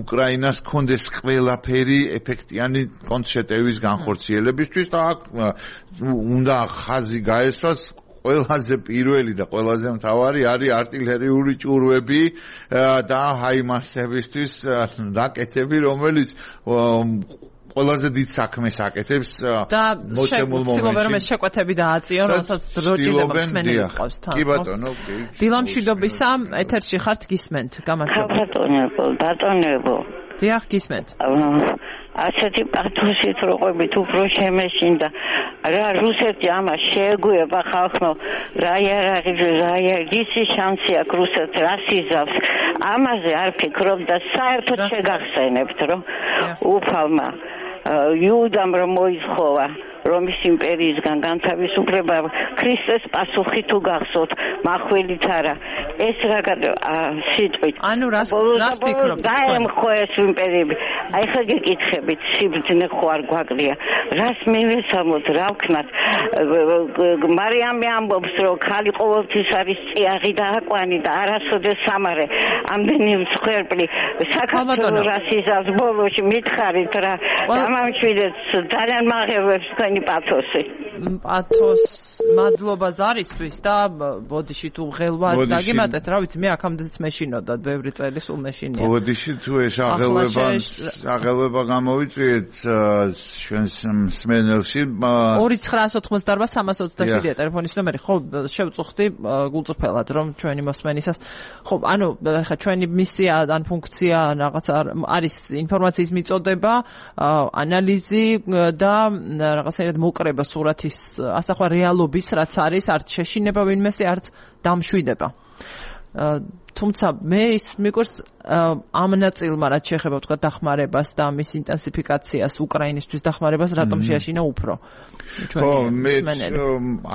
უკრაინას კონდეს ყველაფერი ეფექტიანი კონცერტების განხორციელებისთვის და აქ უნდა ხაზი გაესვას ყველაზე პირველი და ყველაზე მთავარი არის артиლერიული ჭურვები და ჰაიმარსებისთვის რაკეტები რომელიც ყველაზე დიდ საქმეს აკეთებს მოცემულ მომენტში. და შეკვეთები დააწიონ, რასაც დროჭირდება მსმენელი ყავს თან. კი ბატონო, კი. დილამ მშვიდობისა, ეთერში ხართ გისმენთ. გამარჯობა. ბატონებო. დიახ, გისმენთ. ასეთი პათოსით როყვებით უფრო შემეშინდა. რა რუსეთი ამას შეეგუება ხალხო, რა ისი შანსი აქვს რუსეთს რას იზავს. ამაზე არ ფიქრობ და საერთოდ შეგახსენებთ, რომ უფალმა იუდამ რომ მოისხოვა რომის იმპერიისგან განთავისუფლება ქრისტეს პასუხი თუ გახსოვთ მახველით არა ეს რა სიტყვით ანუ რას ფიქრობთ დაემხო ეს იმპერიები აი ხა გეკითხებით სიბრძნე ხო არ გვაკლია რას მივესალმოთ რა ვქნათ მარიამი ამბობს რომ ხალი ყოველთვის არის წიაღი და აკვანი და არასოდეს სამარე ამდენი მსხვერპლი საქართველოს რას იზავს ბოლოში მითხარით რა გამამშვიდეთ ძალიან მაღებებს პათოსი. პათოს მადლობა ზარისთვის და ბოდიში თუ ღელვას დაგიმატეთ, რა ვიცი, მე აქამდეც მეშინოდა ბევრი წელი სულ მეშინია. ბოდიში თუ ეს აღელვება გამოვიწვიეთ ჩვენს მსმენელში 2988-327 ტელეფონის ნომერი, ხო, შევწუხდი გულწრფელად რომ ჩვენი მოსმენისას, ხო, ანუ ხა ჩვენი მისია ან ფუნქცია რაღაც არის ინფორმაციის მიწოდება, ანალიზი და რაღაცა მოკრება სურათის ასახვა რეალობის რაც არის არც შეშინება ვინმესე არც დამშვიდება თუმცა მე ის მიკვირს ამ ნაწილმა რაც შეეხება თქვა დახმარებას და მის ინტენსიფიკაციას უკრაინისთვის დახმარებას რატომ შეაშინა უფრო ხო მე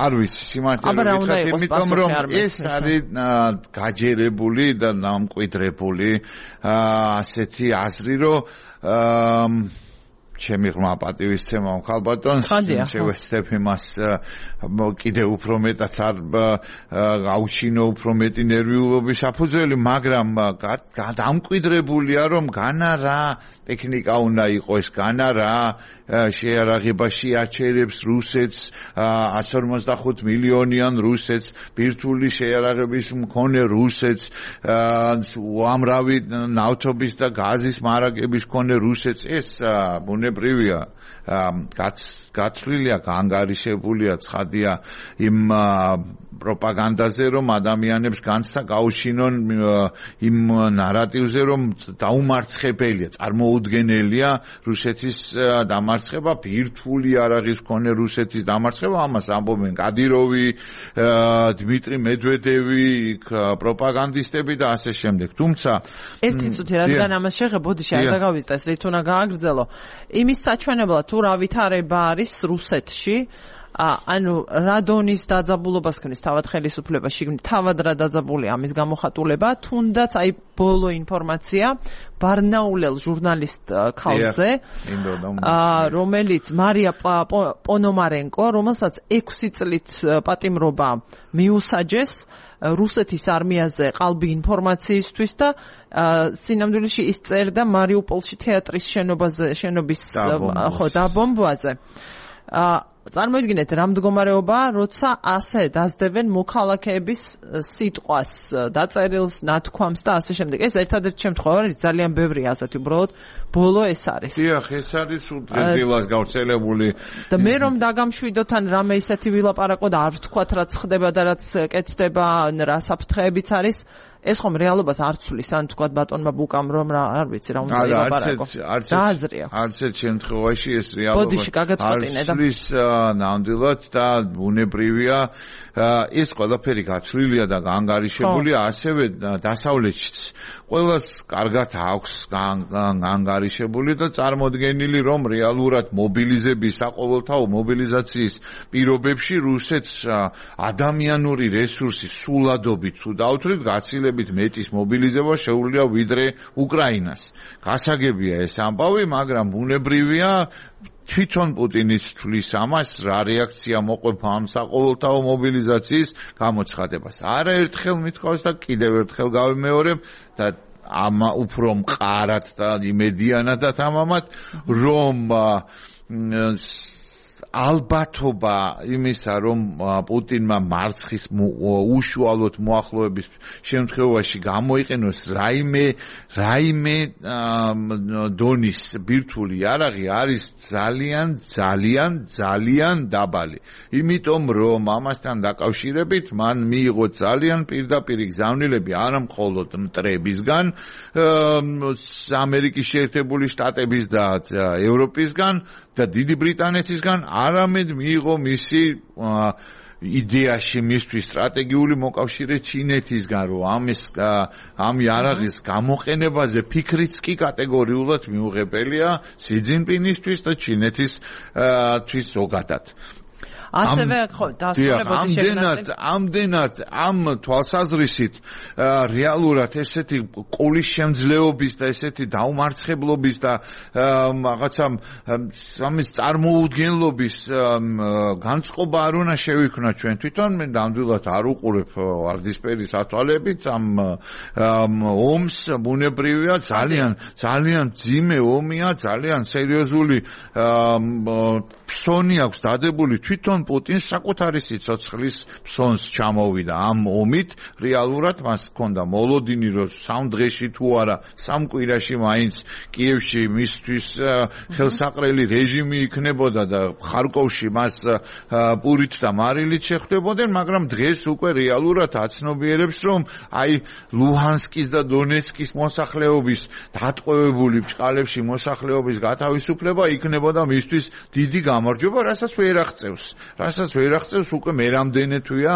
არ ვიცი სიმართლე ვიტყვი იმიტომ რომ ეს არის გაჯერებული და დამკვიდრებული ასეთი აზრი რომ ჩემი ღრმა პატივისცემა ხალბატონს შევეცდებ იმას კიდევ უფრო მეტად არ გაუჩინო უფრო მეტი ნერვიულობის საფუძველი მაგრამ დამკვიდრებულია რომ განა რა ტექნიკა უნდა იყოს განა რა შეარაღება შეაჩერებს რუსეთს 155 მილიონიან რუსეთს ბირთვული შეარაღების მქონე რუსეთს უამრავი ნავთობის და გაზის მარაგების მქონე რუსეთს ეს ბუნებრივია გაცვლილია გაანგარიშებულია ცხადია იმ პროპაგანდაზე რომ ადამიანებს განცდა გაუჩინონ იმ ნარატივზე რომ დაუმარცხებელია წარმოუდგენელია რუსეთის დამარცხება ბირთვული არაღის მქონე რუსეთის დამარცხება ამას ამბობენ კადიროვი დმიტრი მედვედევი პროპაგანდისტები და ასე შემდეგ თუმცა ერთი წუთი რადგან ამას შეღებოდიში არ დაგავიწყდეს რით უნდა გააგრძელო იმის საჩვენებლად თუ რა ვითარება არის რუსეთში ანუ რა დონის დაძაბულობას ქნის თავად ხელისუფლება შიგნით თავად რა დაძაბულია ამის გამოხატულება თუნდაც აი ბოლო ინფორმაცია ბარნაულელ ჟურნალისტ ქალზე რომელიც მარია პონომარენკო რომელსაც 6 წლით პატიმრობა მიუსაჯეს რუსეთის არმიაზე ყალბი ინფორმაციისთვის და სინამდვილეში ის წერდა მარიუპოლში თეატრის შენობის დაბომბვაზე წარმოიდგინეთ რა მდგომარეობაა, როცა ასე დასდებენ მოქალაქეების სიტყვას, დაწერილს, ნათქვამს და ასე შემდეგ. ეს ერთადერთი შემთხვევა არის, ძალიან ბევრი ასეთი, უბრალოდ ბოლო ეს არის. დიახ, ეს არის უდრედილას გავრცელებული. და მე რომ დაგამშვიდოთ ან რამე ისეთი ვილაპარაკო და არ ვთქვათ რაც ხდება და რაც კეთდება, რა საფრთხეებიც არის, ეს ხომ რეალობას არ ცვლის, ან თქვათ ბატონმა ბუკამ რომ რა არ ვიცი რა უნდა ილაპარაკო. არც ერთ შემთხვევაში ეს რეალობა არ ცვლის ნამდვილად და ბუნებრივია ეს ყველაფერი გაცვლილია და განგარიშებულია ასევე დასავლეთშიც. ყველას კარგად აქვს განგარიშებული და წარმოდგენილი რომ რეალურად მობილიზების საყოველთაო მობილიზაციის პირობებში რუსეთს ადამიანური რესურსი სულადობით თუ დავთვლით გაცილებით მეტის მობილიზება შეუძლია ვიდრე უკრაინას. გასაგებია ეს ამბავი, მაგრამ ბუნებრივია თვითონ პუტინის თვლის ამას რა რეაქცია მოყვება ამ საყოველთაო მობილიზაციის გამოცხადებას. არაერთხელ მithქვავს და კიდევ ერთხელ გავიმეორებ და ამა უფრო მყარად და იმედიანადაც ამამად რომ ალბათობა იმისა რომ პუტინმა მარცხის უშუალოდ მოახლოების შემთხვევაში გამოიყენოს რაიმე დონის ბირთვული იარაღი არის ძალიან დაბალი. იმიტომ რომ ამასთან დაკავშირებით მან მიიღო ძალიან პირდაპირ გზავნილები არა მხოლოდ მტრებისგან, ამერიკის შეერთებული შტატების და ევროპისგან და დიდი ბრიტანეთისგან, არამედ მიიღო მისი იდეაში მისთვის სტრატეგიული მოკავშირე ჩინეთისგან, რომ ამ იარაღის გამოყენებაზე ფიქრიც კი კატეგორიულად მიუღებელია სი ძინპინისთვის და ჩინეთისთვის ზოგადად. ასევე ხო დასწრებოდი შეგვიძლია ამდენად ამ თვალსაზრისით რეალურად ესეთი ყოლის შემძლეობის და ესეთი დაუმარცხებლობის და რაღაცა სამის წარმოუდგენლობის განწყობა არ უნდა შევიქმნა ჩვენ თვითონ. მე ნამდვილად არ უყურებ ვარდისფერი სათვალებით ამ ომს. ბუნებრივია ძალიან ძიმე ომია, ძალიან სერიოზული ფსონი აქვს დადებული თვითონ პუტინს საკუთარი სიცოცხლის ფსონს ჩამოვიდა ამ ომით. რეალურად მას ჰქონდა მოლოდინი რომ სამ დღეში თუ არა სამ კვირაში მაინც კიევში მისთვის ხელსაყრელი რეჟიმი იქნებოდა და ხარკოვში მას პურით და მარილით შეხვდებოდნენ, მაგრამ დღეს უკვე რეალურად აცნობიერებს რომ აი ლუჰანსკის და დონეცკის მოსახლეობის დატყვევებული ბჭყალებში მოსახლეობის გათავისუფლება იქნებოდა მისთვის დიდი გამარჯვება, რასაც ვერ აღწევს უკვე მერამდენე თვეა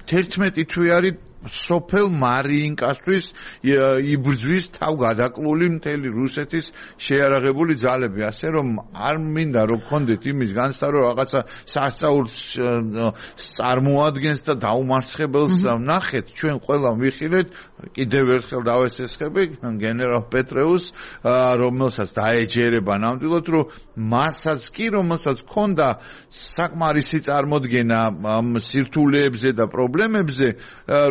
11 თვე არის სოფელ მარიინკასთვის იბრძვის თავგადაკლული მთელი რუსეთის შეიარაღებული ძალები, ასე რომ არ მინდა რომ გქონდეთ იმის განცდა რომ რაღაცა სასწაულს წარმოადგენს და დაუმარცხებელს ნახეთ. ჩვენ ყველა ვიხილეთ, კიდევ ერთხელ დავესესხები გენერალ პეტრეუს, რომელსაც დაეჯერება ნამდვილად რომ მასაც კი რომელსაც ჰქონდა საკმარისი წარმოდგენა ამ სირთულეებზე და პრობლემებზე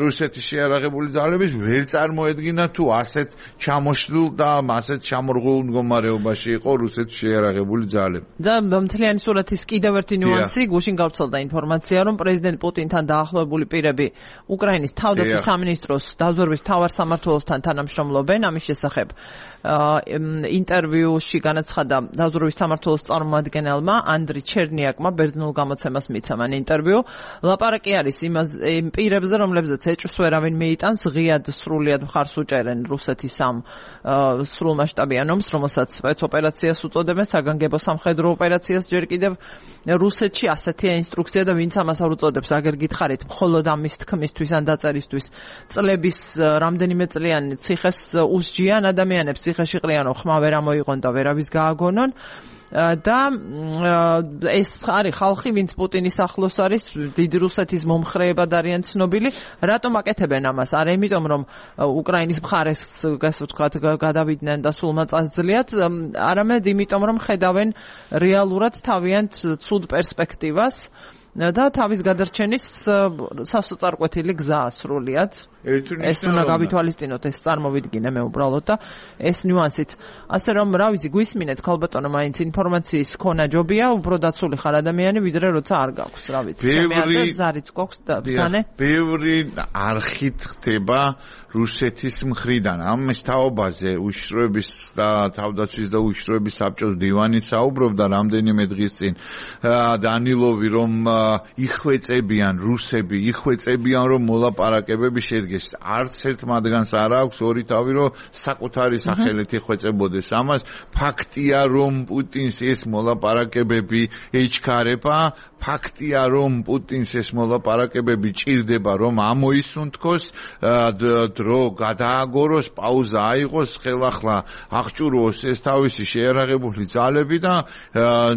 რუსეთის შეიარაღებული ძალების ვერ წარმოედგინა თუ ასეთ ჩამოშლილ და ასეთ ჩამორღულ მდგომარეობაში იყო რუსეთის შეიარაღებული ძალები. და მთლიანი სურათის კიდევ ერთი ნიუანსი, გუშინ გავრცელდა ინფორმაცია, რომ პრეზიდენტ პუტინთან დაახლოებული პირები უკრაინის თავდაცვის სამინისტროს დაზვერვის მთავარ სამმართველოსთან თანამშრომლობენ. ამის შესახებ ინტერვიუში განაცხადა დაზვერვის სამმართველოს წარმომადგენელმა ანდრი ჩერნიაკმა, ბერძნულ გამოცემას მიცა მან ინტერვიუ. ლაპარაკი არის იმ პირებზე, რომლებზეც ეჭვს ვერავინ მიიტანს, ღიად სრულიად მხარს უჭერენ რუსეთის ამ სრულმასშტაბიან ომს, რომელსაც სპეცოპერაციას უწოდებენ, საგანგებო სამხედრო ოპერაციას. ჯერ კიდევ რუსეთში ასეთია ინსტრუქცია და ვინც ამას არ უწოდებს, აგერ გითხარით, მხოლოდ ამის თქმისთვის ან დაწერისთვის წლების რამდენიმე წლიანი ციხეს უსჯიან ადამიანებს, ციხეში ყრიანო ხმა ვერ ამოიღონ და ვერავის გააგონონ. და ეს არის ხალხი, ვინც პუტინის ახლოს არის, დიდი რუსეთის მომხრეებად არიან ცნობილი. რატომ აკეთებენ ამას? არა იმიტომ, რომ უკრაინის მხარეს, ასე ვთქვათ, გადავიდნენ და სულმა წასძლიათ, არამედ იმიტომ, რომ ხედავენ რეალურად თავიანთ ცუდ პერსპექტივას და თავის გადარჩენის სასოწარკვეთილი გზაა სრულიად. ეს უნდა გავითვალისწინოთ, ეს წარმოვიდგინე მე უბრალოდ და ეს ნიუანსიც. ასე რომ, რა ვიცი, გვისმინეთ ქალბატონო, მაინც ინფორმაციის ქონა ჯობია, უფრო დაცული ხარ ადამიანი, ვიდრე როცა არ გაქვს, რა ვიცი. ჩემი არა ზარიც გვაქვს და ბრძანე. ბევრი არხით ხდება რუსეთის მხრიდან. ამ თაობაზე უშიშროების და თავდაცვის და უშიშროების საბჭოს დივანით საუბრობდა რამდენიმე დღის წინ დანილოვი, რომ იხვეწებიან რუსები, იხვეწებიან რომ მოლაპარაკებები შედგეს. არც ერთ მათგანს არ აქვს ორი თავი, რომ საკუთარი სახელით იხვეწებოდეს. ამას ფაქტია, რომ პუტინს ეს მოლაპარაკებები ეჩქარება, ფაქტია, რომ პუტინს ეს მოლაპარაკებები ჭირდება, რომ ამოისუნთქოს, დრო გადააგოროს, პაუზა აიღოს, ხელახლა აღჭურვოს ეს თავისი შეერაღებული ძალები და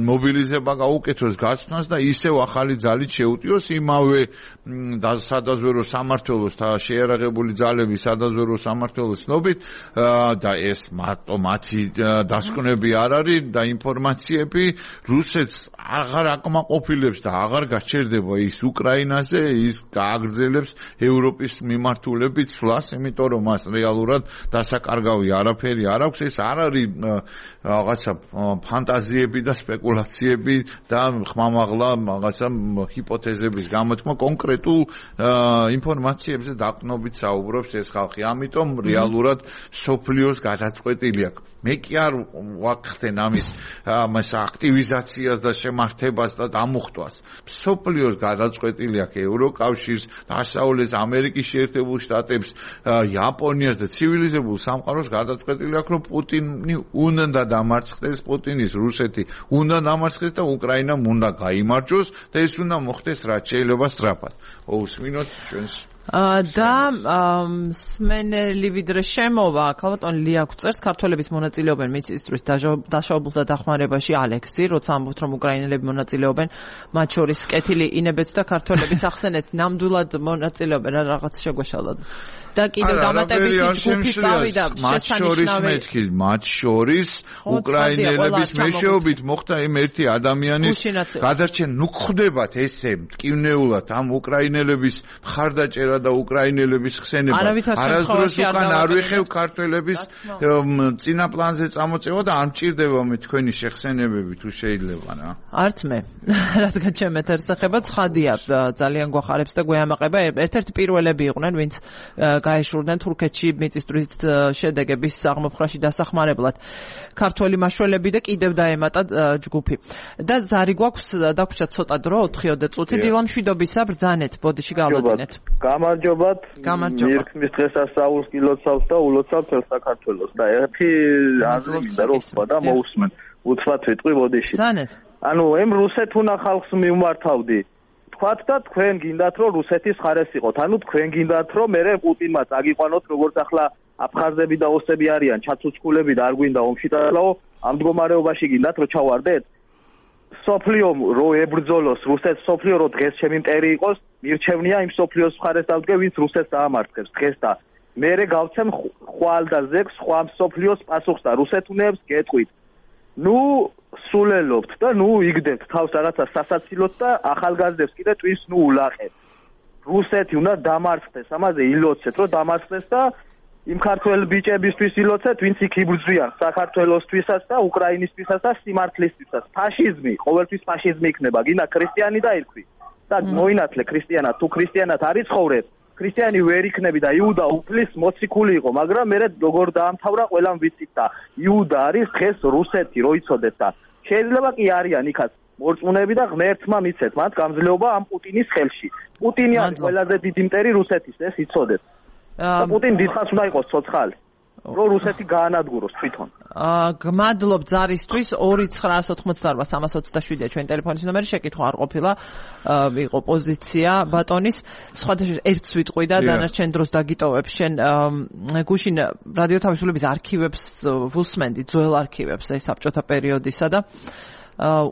მობილიზება გაუკეთოს გაცნას და ისევ ახალი ძალით შეუტიოს იმავე სადაზვერო სამმართველოს და შეერაღებული ძალების სადაზვერო სამმართველოს ცნობით და ეს მარტო მათი დასკვნები არ არის და ინფორმაციები რუსეთს აღარ აკმაყოფილებს და აღარ გაჩერდება ის უკრაინაზე, ის გააგრძელებს ევროპის მიმართულებით სვლას, იმიტომ რომ მას რეალურად დასაკარგავი არაფერი არ აქვს. ეს არ არის რაღაცა ფანტაზიები და სპეკულაციები და ხმამაღლა რაღაცა ჰიპოთეზების გამოთქმა, კონკრეტულ ინფორმაციებზე დაყრდნობით საუბრობს ეს ხალხი. ამიტომ რეალურად სოფლიოს გადაწყვეტილი აქვს. მე კი არ ვახდენ ამის აქტივიზაციას და შემართებას და დამუხტვას. სოფლიოს გადაწყვეტილი აქვს ევროკავშირს, დასავლეთ ამერიკის შეერთებულ შტატებს, იაპონიას და ცივილიზებულ სამყაროს გადაწყვეტილი აქვს, რომ პუტინი უნდა დამარცხდეს, პუტინის რუსეთი უნდა დამარცხდეს და უკრაინამ უნდა გაიმარჯვოს და ეს უნდა მოხდეს რაც შეიძლება სწრაფად. უსმინოთ ჩვენს და სმენელი ვიდრე შემოვა ქალბატონ ლია გვწერს ქართველების მონაწილეობენ მიწისძვრის დაშავებულთა დახმარებაში ალექსი, როცა ამბობთ რომ უკრაინელები მონაწილეობენ, მათ შორის კეთილი ინებეთ და ქართველებიც ახსენეთ ნამდვილად მონაწილეობენ რა რაღაც შეგვეშალათ. და კიდევ დამატებითი ჯგუფი წავიდა შესანიშნავი მათ შორის უკრაინელების მეშვეობით მოხდა იმ ერთი ადამიანის გადარჩენა. ნუ ხდებათ ესე მტკივნეულად ამ უკრაინელების მხარდაჭერა და უკრაინელების ხსენება. არასდროს უკან არ ვიხევ ქართველების წინა პლანზე წამოწევა და არ მჭირდება მე თქვენი შეხსენებები თუ შეიძლება რა. არც მე. რადგან ჩემ ეთერს ეხება ცხადია ძალიან გვახარებს და გვეამაყება. ერთ-ერთი პირველები იყვნენ ვინც გაეშურნენ თურქეთში მიწისძვრის შედეგების აღმოფხვრაში დასახმარებლად ქართველი მაშველები და კიდევ დაემატა ჯგუფი. და ზარი გვაქვს დაგვრჩა ცოტა დრო 4 წუთი დილამშვიდობისა ბრძანეთ ბოდიში გავლოდინეთ. გამარჯობათ. მირქმის დღესასწაულს გილოცავთ და ულოცავთ თელ საქართველოს და ერთი აზრი მინდა რომ ვთქვა და მოусმენ. უცბად ვიტყვი ბოდიში. ბრძანეთ. ანუ ემ რუსეთუნა ხალხს მიმართავდი. თქვათ და თქვენ გინდათ რომ რუსეთის ხარეს იყოთ. ანუ თქვენ გინდათ რომ მე პუტინმა წაგიყვანოთ როგორც ახლა აფხაზები და ოსები არიან ჩაცუცკულები და არ გვინდა ომში დაალაო, ამ მდგომარეობაში გინდათ რომ ჩავარდეთ? სოფლიო რო ებრძოლოს რუსეთს, სოფლიო რო დღეს ჩემი მტერი იყოს, მირჩევნია იმ სოფლიოს ხარეს დავდგე, ვინც რუსეთს დაამარცხებს დღეს და მე გავცემ ხვალ და ზეგს სხვა სოფლიოს პასუხს და რუსეთუნებს გეტყვით. ნუ სულელობთ და ნუ იგდებთ თავს რაღაცა სასაცილოდ და ახალგაზრდებს კიდე ტვინს ნუ ულაყეთ. რუსეთი უნდა დამარცხდეს, ამაზე ილოცეთ რომ დამარცხდეს და იმ ქართველ ბიჭებისთვის ილოცეთ, ვინც იქ იბრძვიან საქართველოსთვისაც და უკრაინისთვისაც და სიმართლისთვისაც. ფაშიზმი, ყოველთვის ფაშიზმი იქნება, გინდა ქრისტიანი დაირქვი. და მოინათლე ქრისტიანად, თუ ქრისტიანად არ იცხოვრებ, ქრისტიანი ვერ იქნები და იუდა უფლის მოციქული იყო, მაგრამ მე როგორ დაამთავრა ყველამ ვიცით და იუდა არის დღეს რუსეთი, რო იცოდეთ და შეიძლება კი არიან იქაც მორწმუნეები და ღმერთმა მიცეთ მათ გამძლეობა ამ პუტინის ხელში. პუტინი არის ყველაზე დიდი მტერი რუსეთის, ეს იცოდეთ. და პუტინი დიდხანს უნდა იყოს ცოცხალი, რომ რუსეთი გაანადგუროს თვითონ. გმადლობ ზარისთვის 2988327 ჩვენ ტელეფონის ნომერი შეკითხვა არ ყოფილა, იყო პოზიცია ბატონის. სხვადასხვა ერთს ვიტყვი და დანარჩენ დროს დაგიტოვებ შენ გუშინ რადიო თავისუფლების არქივებს ვუსმენდი, ძველ არქივებს ეს საბჭოთა პერიოდისა და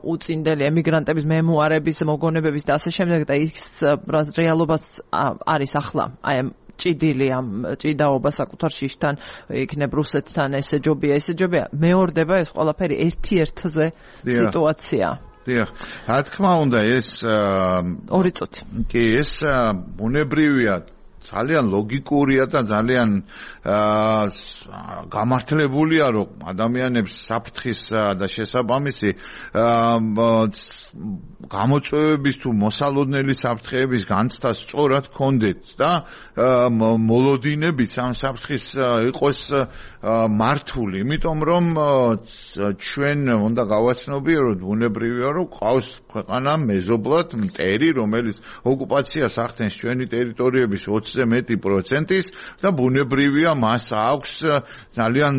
უწინდელი ემიგრანტების მემუარების, მოგონებების და ასე შემდეგ და ის რეალობას არის ახლა. აი ჭიდილი ამ ჭიდაობა საკუთარ შიშთან იქნებ რუსეთთან ესეჯობია მეორდება ეს ყველაფერი ერთ-ერთზე სიტუაცია. დიახ, რა თქმა უნდა ეს 2 წუთი. კი, ეს ბუნებრივია ძალიან ლოგიკურია და ძალიან გამართლებულია, რომ ადამიანებს საფრთხის და შესაბამისი გამოწვევების თუ მოსალოდნელი საფრთხეების განცდა სწორად ჰქონდეთ და მოლოდინებიც ამ საფრთხის იყოს მართული, იმიტომ რომ ჩვენ უნდა გავაცნობიეროთ ბუნებრივია, რომ ყავს ქვეყანა მეზობლად მტერი, რომელიც ოკუპაციას ახდენს ჩვენი ტერიტორიების 20-ზე მეტი პროცენტის და ბუნებრივია მას აქვს ძალიან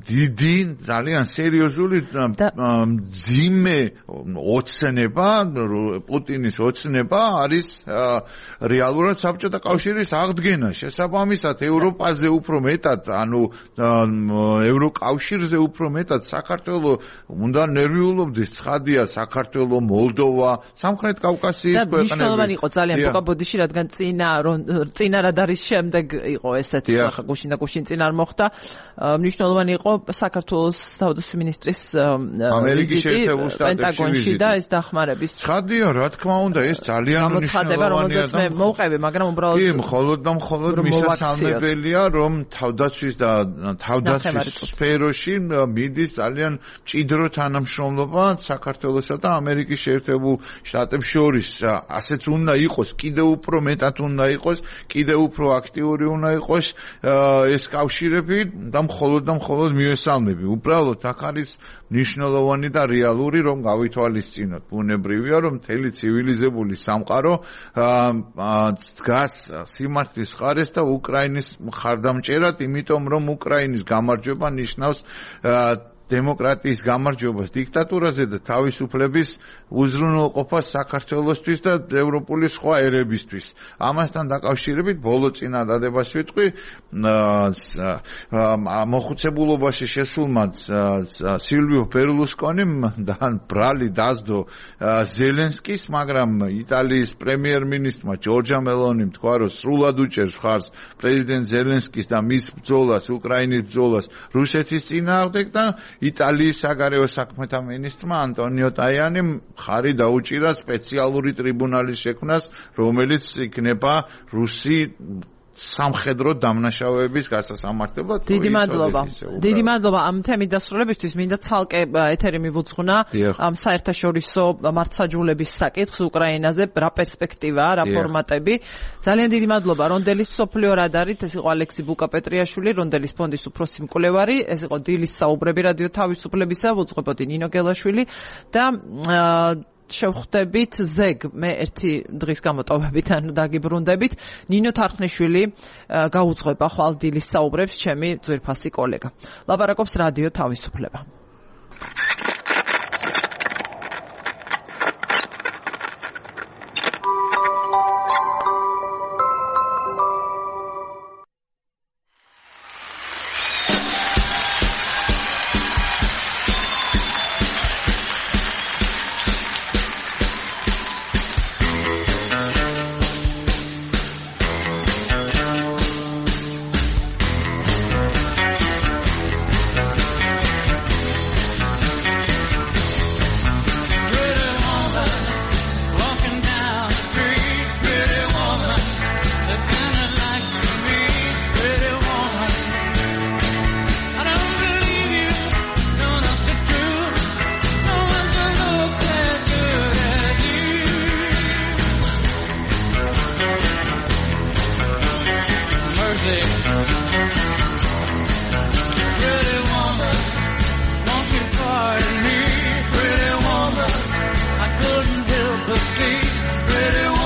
დიდი, ძალიან სერიოზული მძიმე ოცნება, პუტინის ოცნება არის რეალურად საბჭოთა კავშირის აღდგენა. შესაბამისად ევროპაზე უფრო მეტად, ანუ ევროკავშირზე უფრო მეტად საქართველო უნდა ნერვიულობდეს. ცხადია, საქართველო, მოლდოვა, სამხრეთ კავკასიის ქვეყნები. და მნიშვნელოვანი იყო ძალიან ბოდიში, რადგან წინა რად არის შემდეგ იყო ესეც გუშინ და გუშინ წინ არ მოხდა. მნიშვნელოვანი იყო საქართველოს თავდაცვის მინისტრის ამერიკის შეერთებულ პენტაგონში და ეს დახმარების. ცხადია, რა თქმა უნდა, ეს ძალიან გამოცხადება, რომელზეც მე მოვყევი, მაგრამ უბრალოდ კი, მხოლოდ და მხოლოდ მისასალმებელია, რომ თავდაცვის და თავდაცვის სფეროში მიდის ძალიან მჭიდრო თანამშრომლობა საქართველოსა და ამერიკის შეერთებულ შტატებს შორის. ასეც უნდა იყოს, კიდევ უფრო მეტად უნდა იყოს, კიდევ უფრო აქტიური უნდა იყოს ეს კავშირები და მხოლოდ მიესალმები. უბრალოდ აქ არის მნიშვნელოვანი და რეალური, რომ გავითვალისწინოთ. ბუნებრივია, რომ მთელი ცივილიზებული სამყარო დგას სიმართლის მხარეს და უკრაინის მხარდამჭერად, იმიტომ რომ უკრაინის გამარჯვება ნიშნავს დემოკრატიის გამარჯვებას დიქტატურაზე და თავისუფლების უზრუნველყოფას საქართველოსთვის და ევროპული სხვა ერებისთვის. ამასთან დაკავშირებით ბოლო წინადადებას ვიტყვი მოხუცებულობაში შესულმა სილვიო ბერლუსკონიმ და ბრალი დასდო ზელენსკის, მაგრამ იტალიის პრემიერ-მინისტრმა ჯორჯა მელონიმ თქვა, რომ სრულად უჭერს მხარს პრეზიდენტ ზელენსკის და მის ბრძოლას, უკრაინის ბრძოლას რუსეთის წინააღმდეგ და იტალიის საგარეო საქმეთა მინისტრმა ანტონიო ტაიანიმ ხარი დაუჭირა სპეციალური ტრიბუნალის შექმნას, რომელიც იქნება რუსი სამხედრო დამნაშავეების გასასამართებლად. დიდი მადლობა ამ თემის დასრულებისთვის. მინდა ცალკე ეთერი მივუძღვნა ამ საერთაშორისო მართლმსაჯულების საკითხს უკრაინაზე, რა პერსპექტივაა, რა ფორმატები. ძალიან დიდი მადლობა რონდელის მსოფლიო რადარით. ეს იყო ალექსი ბუკაპეტრიაშვილი, რონდელის ფონდის უფროსი მკვლევარი. ეს იყო დილის საუბრები რადიო თავისუფლებისა, უძღვებოდი ნინო გელაშვილი და შევხვდებით ზეგ მე ერთი დღის გამოტოვებით, ანუ დაგიბრუნდებით. ნინო თარხნიშვილი გაუძღვება ხვალ დილის საუბრებს, ჩემი ძვირფასი კოლეგა. ლაპარაკობს რადიო თავისუფლება. Pretty woman,